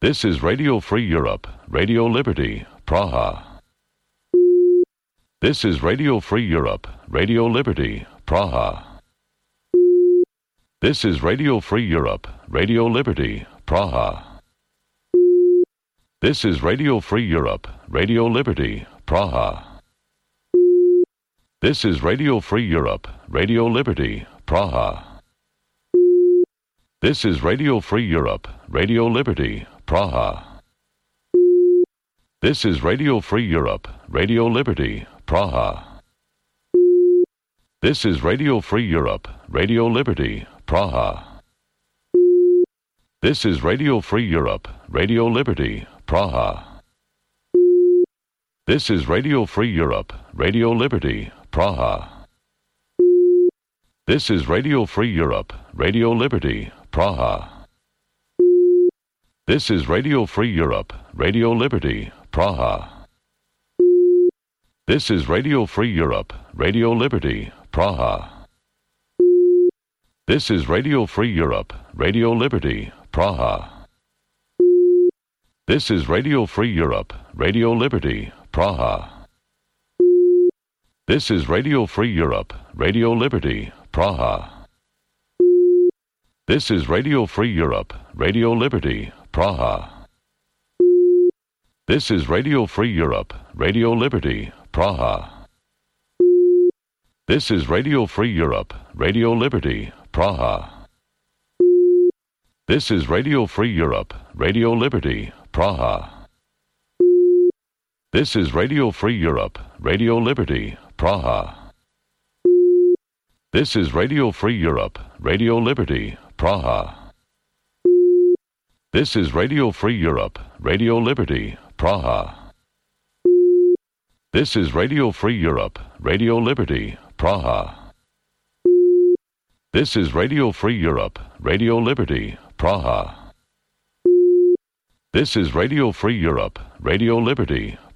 This is Radio Free Europe, Radio Liberty, Praha. This is Radio Free Europe, Radio Liberty, Praha. This is Radio Free Europe, Radio Liberty, Praha. This is Radio Free Europe, Radio Liberty, Praha. This is Radio Free Europe, Radio Liberty, Praha. This is Radio Free Europe, Radio Liberty, Praha. This is Radio Free Europe, Radio Liberty, Praha. This is Radio Free Europe, Radio Liberty, Praha. This is Radio Free Europe, Radio Liberty, Praha. This is Radio Free Europe, Radio Liberty, Praha. This is Radio Free Europe, Radio Liberty, Praha. This is Radio Free Europe, Radio Liberty, Praha. This is Radio Free Europe, Radio Liberty, Praha. This is Radio Free Europe, Radio Liberty, Praha. This is Radio Free Europe, Radio Liberty, Praha. This is Radio Free Europe, Radio Liberty, Praha. This is Radio Free Europe, Radio Liberty, Praha. This is Radio Free Europe, Radio Liberty, Praha. This is Radio Free Europe, Radio Liberty, Praha. This is Radio Free Europe, Radio Liberty, Praha. This is Radio Free Europe, Radio Liberty, Praha. This is Radio Free Europe, Radio Liberty, Praha. This is Radio Free Europe, Radio Liberty, Praha. This is Radio Free Europe, Radio Liberty, Praha. This is Radio Free Europe, Radio Liberty, Praha. This is Radio Free Europe, Radio Liberty, Praha.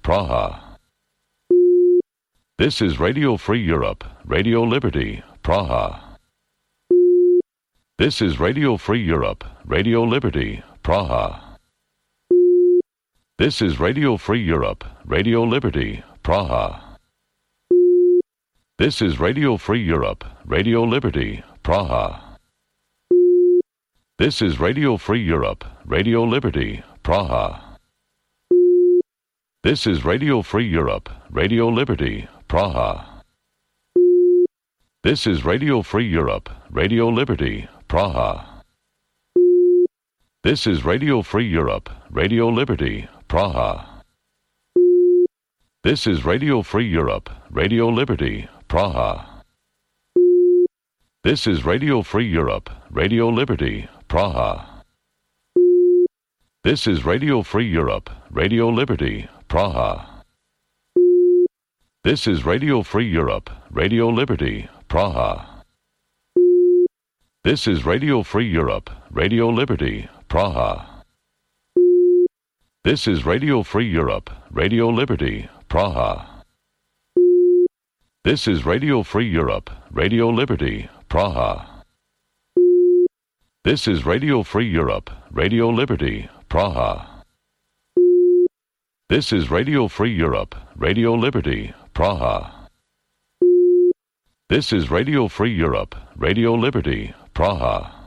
This is Radio Free Europe, Radio Liberty, Praha. This is Radio Free Europe, Radio Liberty, Praha. This is Radio Free Europe, Radio Liberty, Praha. This is Radio Free Europe, Radio Liberty, Praha. This is Radio Free Europe, Radio Liberty, Praha. This is Radio Free Europe, Radio Liberty, Praha. This is Radio Free Europe, Radio Liberty, Praha. This is Radio Free Europe, Radio Liberty, Praha. This is Radio Free Europe, Radio Liberty, Praha. This is Radio Free Europe, Radio Liberty, Praha. This is Radio Free Europe, Radio Liberty, Praha. This is Radio Free Europe, Radio Liberty, Praha. This is Radio Free Europe, Radio Liberty, Praha. This is Radio Free Europe, Radio Liberty, Praha. This is Radio Free Europe, Radio Liberty, Praha. This is Radio Free Europe, Radio Liberty, Praha. This is Radio Free Europe, Radio Liberty, Praha. This is Radio Free Europe, Radio Liberty, Praha.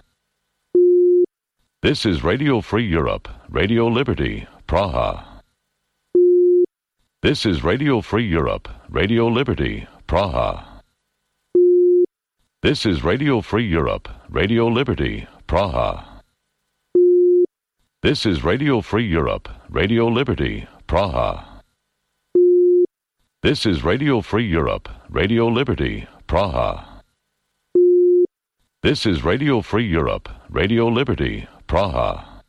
This is Radio Free Europe, Radio Liberty, Praha. This is Radio Free Europe, Radio Liberty, Praha. This is Radio Free Europe, Radio Liberty, Praha. This is Radio Free Europe, Radio Liberty, Praha. This is Radio Free Europe, Radio Liberty, Praha. This is Radio Free Europe, Radio Liberty, Praha.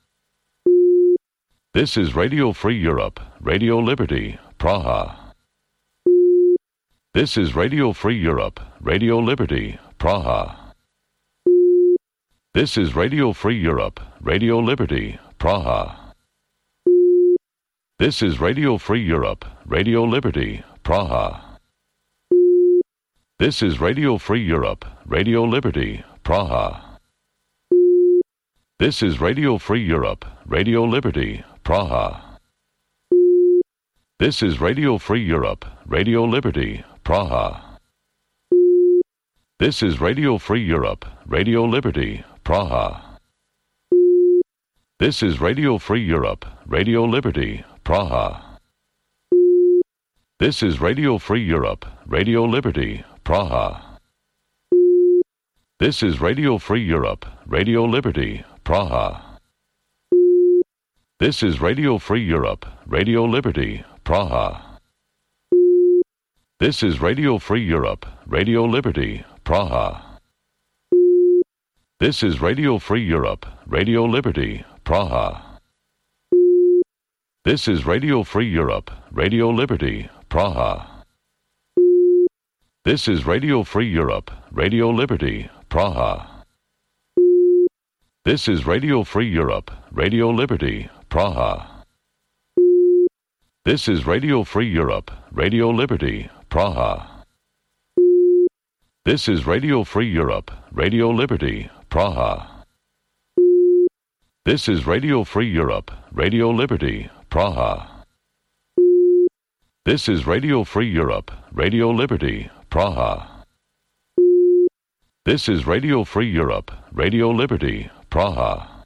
This is Radio Free Europe, Radio Liberty, Praha. This is Radio Free Europe, Radio Liberty, Praha. This is Radio Free Europe, Radio Liberty, Praha. This is Radio Free Europe, Radio Liberty, Praha. This is Radio Free Europe, Radio Liberty, Praha. This is Radio Free Europe, Radio Liberty, Praha. This is Radio Free Europe, Radio Liberty, Praha. This is Radio Free Europe, Radio Liberty, Praha. This is Radio Free Europe, Radio Liberty, Praha. This is Radio Free Europe, Radio Liberty, Praha. This is Radio Free Europe, Radio Liberty, Praha. This is Radio Free Europe, Radio Liberty, Praha. This is Radio Free Europe, Radio Liberty, Praha. This is Radio Free Europe, Radio Liberty, Praha. This is Radio Free Europe, Radio Liberty, Praha. This is Radio Free Europe, Radio Liberty, Praha. This is Radio Free Europe, Radio Liberty, Praha. This is Radio Free Europe, Radio Liberty, Praha. This is Radio Free Europe, Radio Liberty, Praha. This is Radio Free Europe, Radio Liberty, Praha. This is Radio Free Europe, Radio Liberty, Praha. This is Radio Free Europe, Radio Liberty, Praha.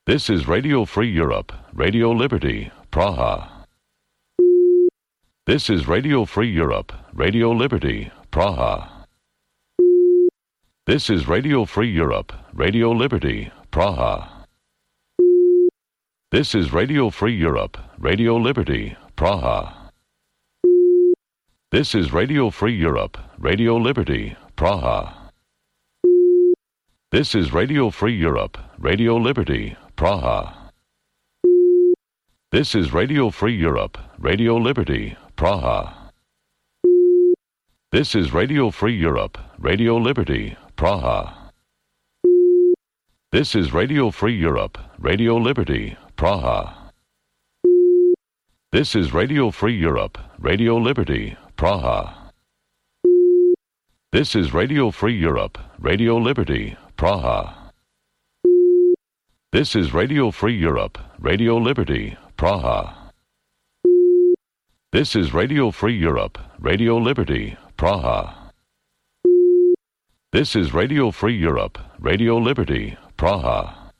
This is Radio Free Europe, Radio Liberty, Praha. This is Radio Free Europe, Radio Liberty, Praha. This is Radio Free Europe, Radio Liberty, Praha. This is Radio Free Europe, Radio Liberty, Praha. This is Radio Free Europe, Radio Liberty, Praha. This is Radio Free Europe, Radio Liberty, Praha. This is Radio Free Europe, Radio Liberty, Praha. This is Radio Free Europe, Radio Liberty, Praha. This is Radio Free Europe, Radio Liberty, Praha. This is Radio Free Europe, Radio Liberty, Praha. This is Radio Free Europe, Radio Liberty, Praha. This is Radio Free Europe, Radio Liberty, Praha. This is Radio Free Europe, Radio Liberty, Praha. This is Radio Free Europe, Radio Liberty, Praha.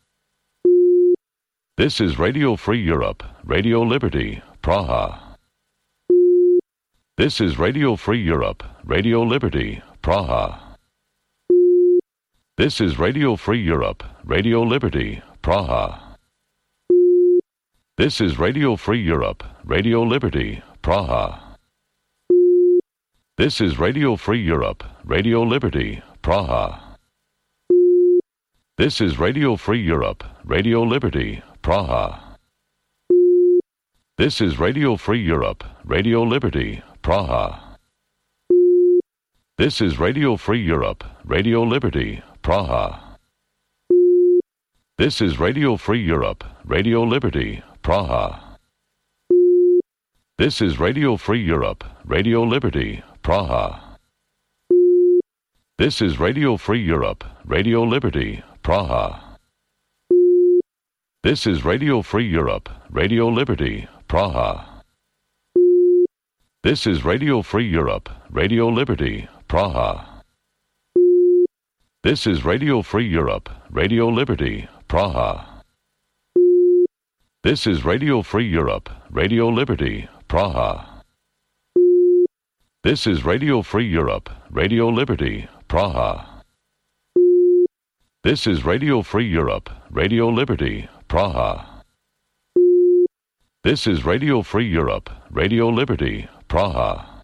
This is Radio Free Europe, Radio Liberty, Praha. This is Radio Free Europe, Radio Liberty, Praha. This is Radio Free Europe, Radio Liberty, Praha. This is Radio Free Europe, Radio Liberty, Praha. This is Radio Free Europe, Radio Liberty, Praha. This is Radio Free Europe, Radio Liberty, Praha. This is Radio Free Europe, Radio Liberty, Praha. This is Radio Free Europe, Radio Liberty, Praha. This is Radio Free Europe, Radio Liberty, Praha. This is Radio Free Europe, Radio Liberty, Praha. This is Radio Free Europe, Radio Liberty, Praha. This is Radio Free Europe, Radio Liberty, Praha. This is Radio Free Europe, Radio Liberty, Praha. This is Radio Free Europe, Radio Liberty, Praha. This is Radio Free Europe, Radio Liberty, Praha. This is Radio Free Europe, Radio Liberty, Praha. This is Radio Free Europe, Radio Liberty, Praha. This is Radio Free Europe, Radio Liberty, Praha.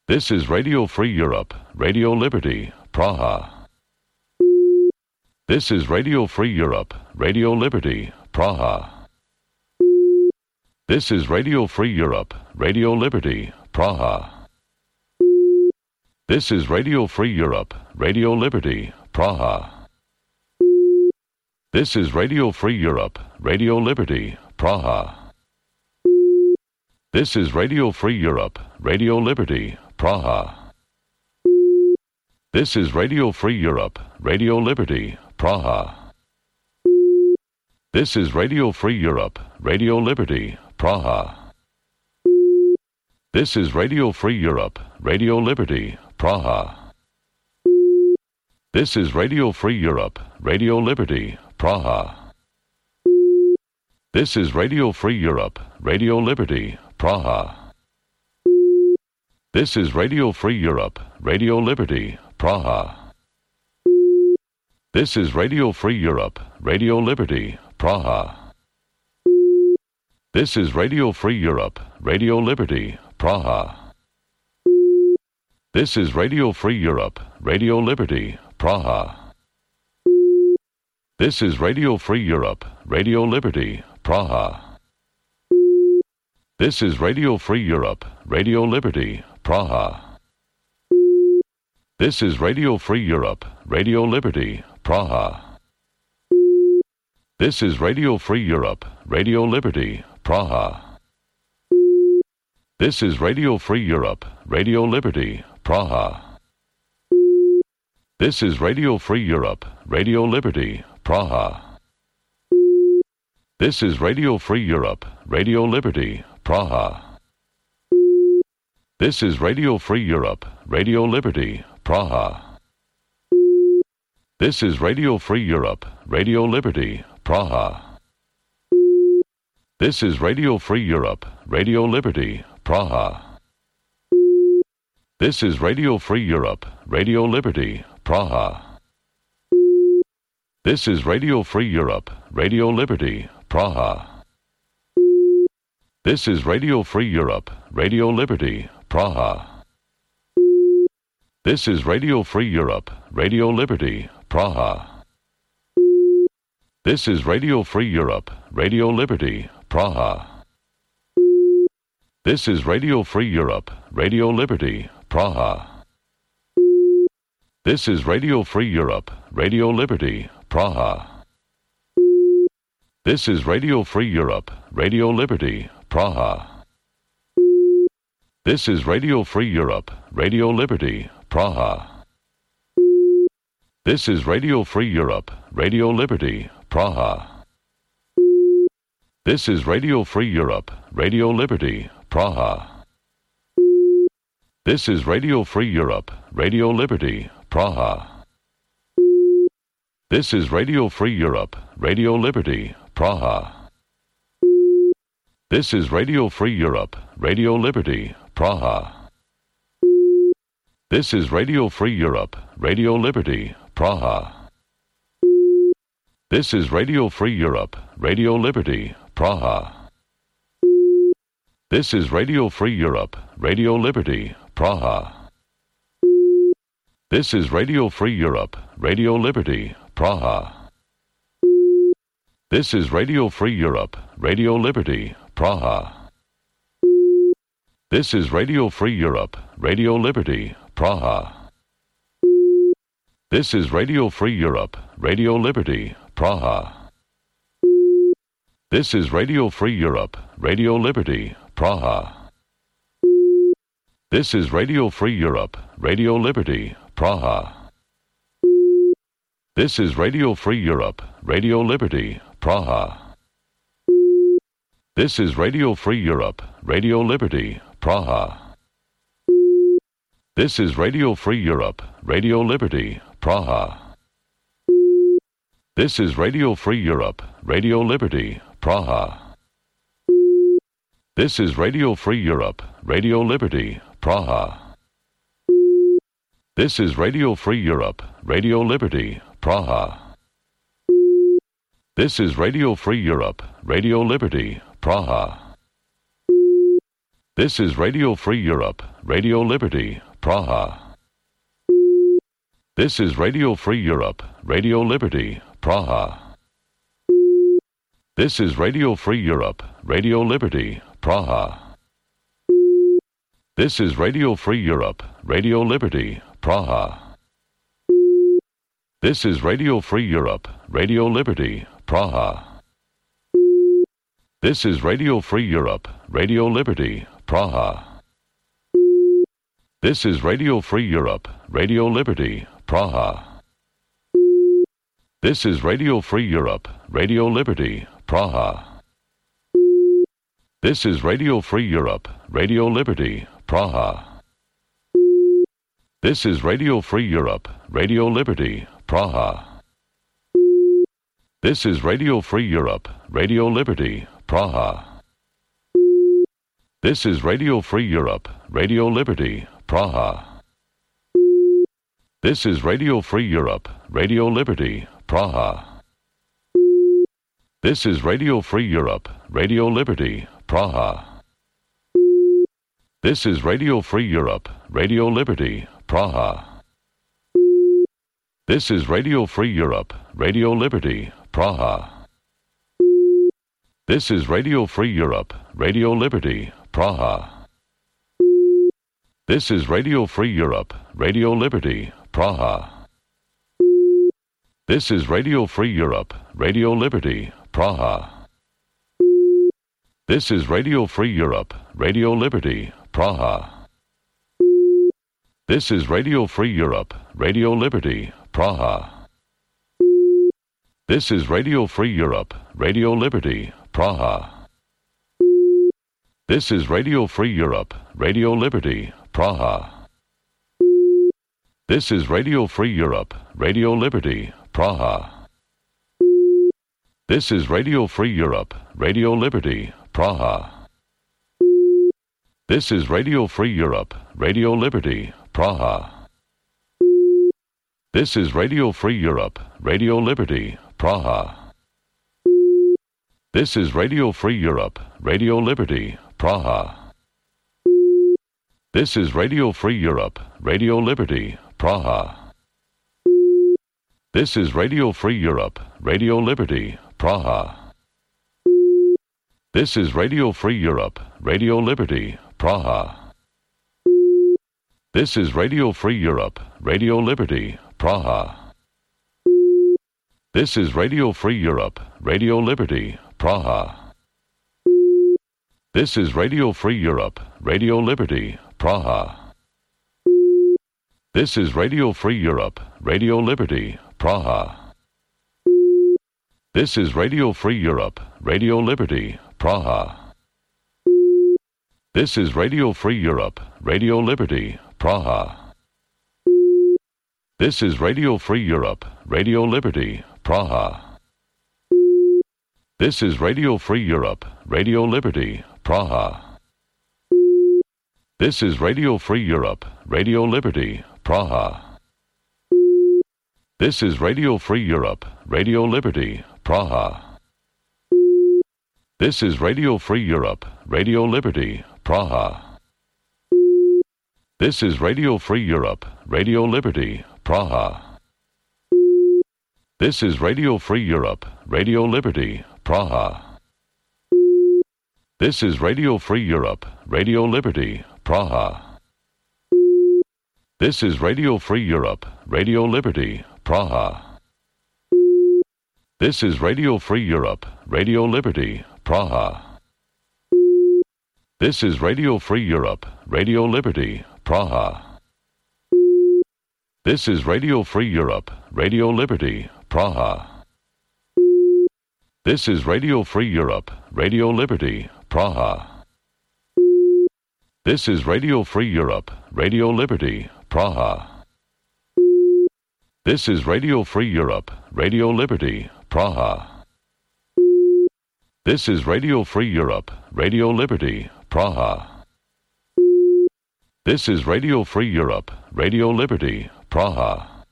This is Radio Free Europe, Radio Liberty, Praha. This is Radio Free Europe, Radio Liberty, Praha. This is Radio Free Europe, Radio Liberty, Praha. This is Radio Free Europe, Radio Liberty, Praha. This is Radio Free Europe, Radio Liberty, Praha. This is Radio Free Europe, Radio Liberty, Praha. This is Radio Free Europe, Radio Liberty, Praha. This is Radio Free Europe, Radio Liberty, Praha. This is Radio Free Europe, Radio Liberty, Praha. This is Radio Free Europe, Radio Liberty, Praha. This is Radio Free Europe, Radio Liberty, Praha. This is Radio Free Europe, Radio Liberty, Praha. This is Radio Free Europe, Radio Liberty, Praha. This is Radio Free Europe, Radio Liberty, Praha. This is Radio Free Europe, Radio Liberty, Praha. This is Radio Free Europe, Radio Liberty, Praha. This is Radio Free Europe, Radio Liberty, Praha. This is Radio Free Europe, Radio Liberty, Praha. This is Radio Free Europe, Radio Liberty, Praha. This is Radio Free Europe, Radio Liberty, Praha. This is Radio Free Europe, Radio Liberty, Praha. This is Radio Free Europe, Radio Liberty, Praha. This is Radio Free Europe, Radio Liberty, Praha. This is Radio Free Europe, Radio Liberty, Praha. This is Radio Free Europe, Radio Liberty, Praha. This is Radio Free Europe, Radio Liberty, Praha. This is Radio Free Europe, Radio Liberty, Praha. This is Radio Free Europe, Radio Liberty, Praha. This is Radio Free Europe, Radio Liberty, Praha. This is Radio Free Europe, Radio Liberty, Praha. This is Radio Free Europe, Radio Liberty, Praha. This is Radio Free Europe, Radio Liberty, Praha. This is Radio Free Europe, Radio Liberty, Praha. This is Radio Free Europe, Radio Liberty, Praha. This is Radio Free Europe, Radio Liberty, Praha. This is Radio Free Europe, Radio Liberty, Praha. This is Radio Free Europe, Radio Liberty, Praha. This is Radio Free Europe, Radio Liberty, Praha. This is Radio Free Europe, Radio Liberty, Praha. This is Radio Free Europe, Radio Liberty, Praha. This is Radio Free Europe, Radio Liberty, Praha. This is Radio Free Europe, Radio Liberty, Praha. This is Radio Free Europe, Radio Liberty, Praha. This is Radio Free Europe, Radio Liberty, Praha. This is Radio Free Europe, Radio Liberty, Praha. This is Radio Free Europe, Radio Liberty, Praha. This is Radio Free Europe, Radio Liberty, Praha. This is Radio Free Europe, Radio Liberty, Praha. This is Radio Free Europe, Radio Liberty, Praha. This is Radio Free Europe, Radio Liberty, Praha. This is Radio Free Europe, Radio Liberty, Praha. This is Radio Free Europe, Radio Liberty, Praha. This is Radio Free Europe, Radio Liberty, Praha. This is Radio Free Europe, Radio Liberty, Praha. This is Radio Free Europe, Radio Liberty, Praha. This is Radio Free Europe, Radio Liberty, Praha. This is Radio Free Europe, Radio Liberty, Praha. This is Radio Free Europe, Radio Liberty, Praha. This is Radio Free Europe, Radio Liberty, Praha. This is Radio Free Europe, Radio Liberty, Praha. This is Radio Free Europe, Radio Liberty, Praha. This is Radio Free Europe, Radio Liberty, Praha. This is Radio Free Europe, Radio Liberty, Praha. This is Radio Free Europe, Radio Liberty, Praha. This is Radio Free Europe, Radio Liberty, Praha. This is Radio Free Europe, Radio Liberty, Praha. This is Radio Free Europe, Radio Liberty, Praha. This is Radio Free Europe, Radio Liberty, Praha. This is Radio Free Europe, Radio Liberty, Praha. This is Radio Free Europe, Radio Liberty, Praha. This is Radio Free Europe, Radio Liberty, Praha. This is Radio Free Europe, Radio Liberty, Praha. This is Radio Free Europe, Radio Liberty, Praha. This is Radio Free Europe, Radio Liberty, Praha. This is Radio Free Europe, Radio Liberty, Praha. This is Radio Free Europe, Radio Liberty, Praha. This is Radio Free Europe, Radio Liberty, Praha. This is Radio Free Europe, Radio Liberty, Praha. This is Radio Free Europe, Radio Liberty, Praha. This is Radio Free Europe, Radio Liberty, Praha. This is Radio Free Europe, Radio Liberty, Praha. This is Radio Free Europe, Radio Liberty, Praha. This is Radio Free Europe, Radio Liberty, Praha. This is Radio Free Europe, Radio Liberty, Praha. This is Radio Free Europe, Radio Liberty, Praha. This is Radio Free Europe, Radio Liberty, Praha. This is Radio Free Europe, Radio Liberty, Praha. This is Radio Free Europe, Radio Liberty, Praha. This is Radio Free Europe, Radio Liberty, Praha. This is Radio Free Europe, Radio Liberty, Praha. This is Radio Free Europe, Radio Liberty, Praha. This is Radio Free Europe, Radio Liberty, Praha. This is Radio Free Europe, Radio Liberty, Praha. This is Radio Free Europe, Radio Liberty, Praha. This is Radio Free Europe, Radio Liberty, Praha. This is Radio Free Europe, Radio Liberty, Praha. This is Radio Free Europe, Radio Liberty, Praha. This is Radio Free Europe, Radio Liberty, Praha. This is Radio Free Europe, Radio Liberty, Praha. This is Radio Free Europe, Radio Liberty, Praha. This is Radio Free Europe, Radio Liberty, Praha. This is Radio Free Europe, Radio Liberty, Praha. This is Radio Free Europe, Radio Liberty, Praha. This is Radio Free Europe, Radio Liberty, Praha. This is Radio Free Europe, Radio Liberty, Praha. This is Radio Free Europe, Radio Liberty, Praha. This is Radio Free Europe, Radio Liberty, Praha. This is Radio Free Europe, Radio Liberty, Praha. This is Radio Free Europe, Radio Liberty, Praha.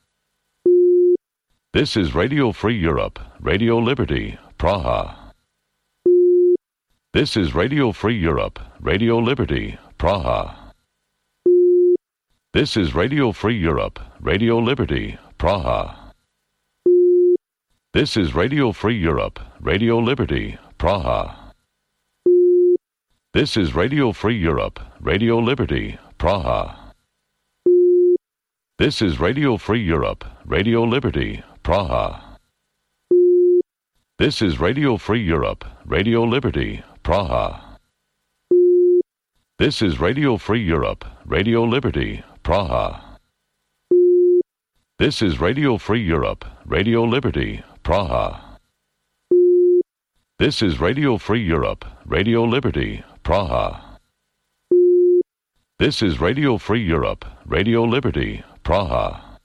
This is Radio Free Europe, Radio Liberty, Praha. This is Radio Free Europe, Radio Liberty, Praha. This is Radio Free Europe, Radio Liberty, Praha. This is Radio Free Europe, Radio Liberty, Praha. This is Radio Free Europe, Radio Liberty, Praha. This is Radio Free Europe, Radio Liberty, Praha. This is Radio Free Europe, Radio Liberty, Praha. This is Radio Free Europe, Radio Liberty, Praha. This is Radio Free Europe, Radio Liberty, Praha. This is Radio Free Europe, Radio Liberty, Praha. This is Radio Free Europe, Radio Liberty, Praha.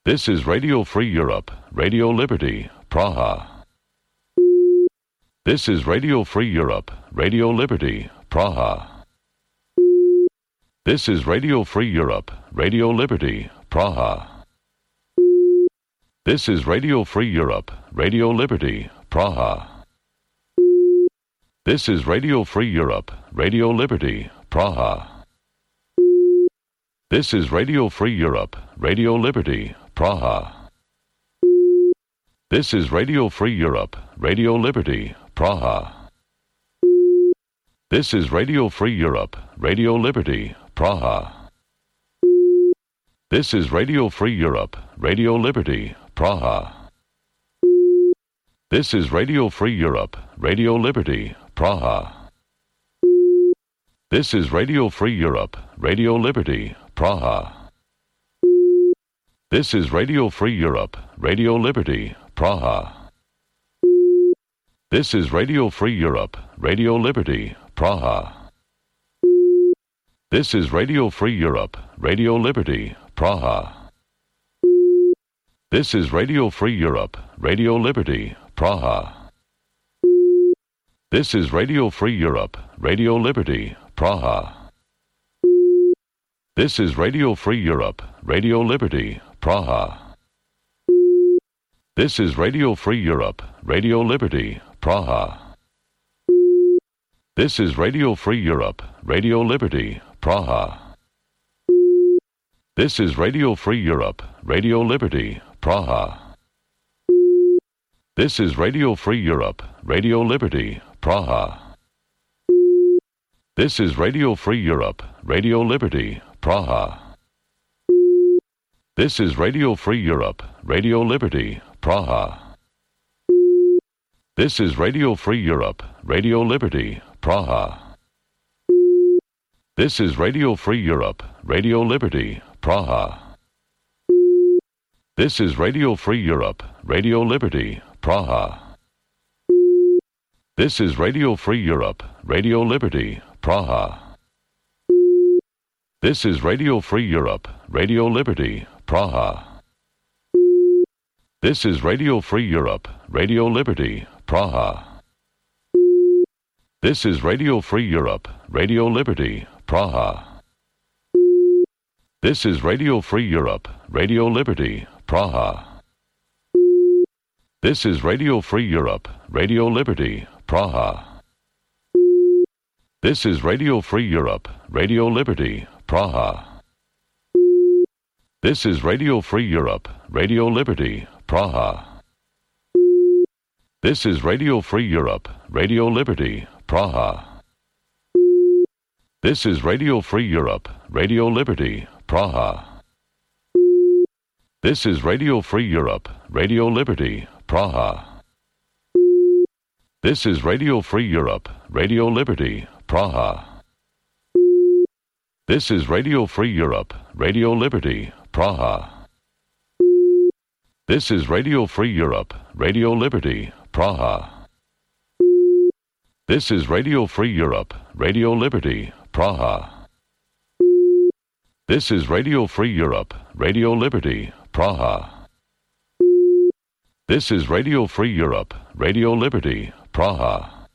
This is Radio Free Europe, Radio Liberty, Praha. This is Radio Free Europe, Radio Liberty, Praha. This is Radio Free Europe, Radio Liberty, Praha. This is Radio Free Europe, Radio Liberty, Praha. This is Radio Free Europe, Radio Liberty, Praha. This is Radio Free Europe, Radio Liberty, Praha. This is Radio Free Europe, Radio Liberty, Praha. This is Radio Free Europe, Radio Liberty, Praha. This is Radio Free Europe, Radio Liberty, Praha. This is Radio Free Europe, Radio Liberty, Praha. This is Radio Free Europe, Radio Liberty, Praha. This is Radio Free Europe, Radio Liberty, Praha. This is Radio Free Europe, Radio Liberty, Praha. This is Radio Free Europe, Radio Liberty, Praha. This is Radio Free Europe, Radio Liberty, Praha. This is Radio Free Europe, Radio Liberty, Praha. This is Radio Free Europe, Radio Liberty, Praha. This is Radio Free Europe, Radio Liberty, Praha. This is Radio Free Europe, Radio Liberty, Praha. This is Radio Free Europe, Radio Liberty, Praha. This is Radio Free Europe, Radio Liberty, Praha. This is Radio Free Europe, Radio Liberty, Praha. This is Radio Free Europe, Radio Liberty, Praha. This is Radio Free Europe, Radio Liberty, Praha. This is Radio Free Europe, Radio Liberty, Praha. This is Radio Free Europe, Radio Liberty, Praha. This is Radio Free Europe, Radio Liberty, Praha. This is Radio Free Europe, Radio Liberty, Praha. This is Radio Free Europe, Radio Liberty, Praha. This is Radio Free Europe, Radio Liberty, Praha. This is Radio Free Europe, Radio Liberty, Praha. This is Radio Free Europe, Radio Liberty, Praha. This is Radio Free Europe, Radio Liberty, Praha. This is Radio Free Europe, Radio Liberty, Praha. This is Radio Free Europe, Radio Liberty, Praha. This is Radio Free Europe, Radio Liberty, Praha. This is Radio Free Europe, Radio Liberty, Praha. This is Radio Free Europe, Radio Liberty, Praha. This is Radio Free Europe, Radio Liberty, Praha. This is Radio Free Europe, Radio Liberty, Praha. This is Radio Free Europe, Radio Liberty, Praha. This is Radio Free Europe, Radio Liberty, Praha. This is Radio Free Europe, Radio Liberty, Praha.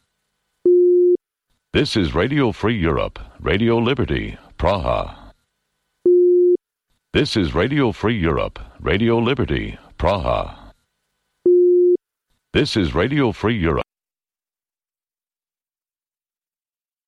This is Radio Free Europe, Radio Liberty, Praha. This is Radio Free Europe, Radio Liberty, Praha. This is Radio Free Europe.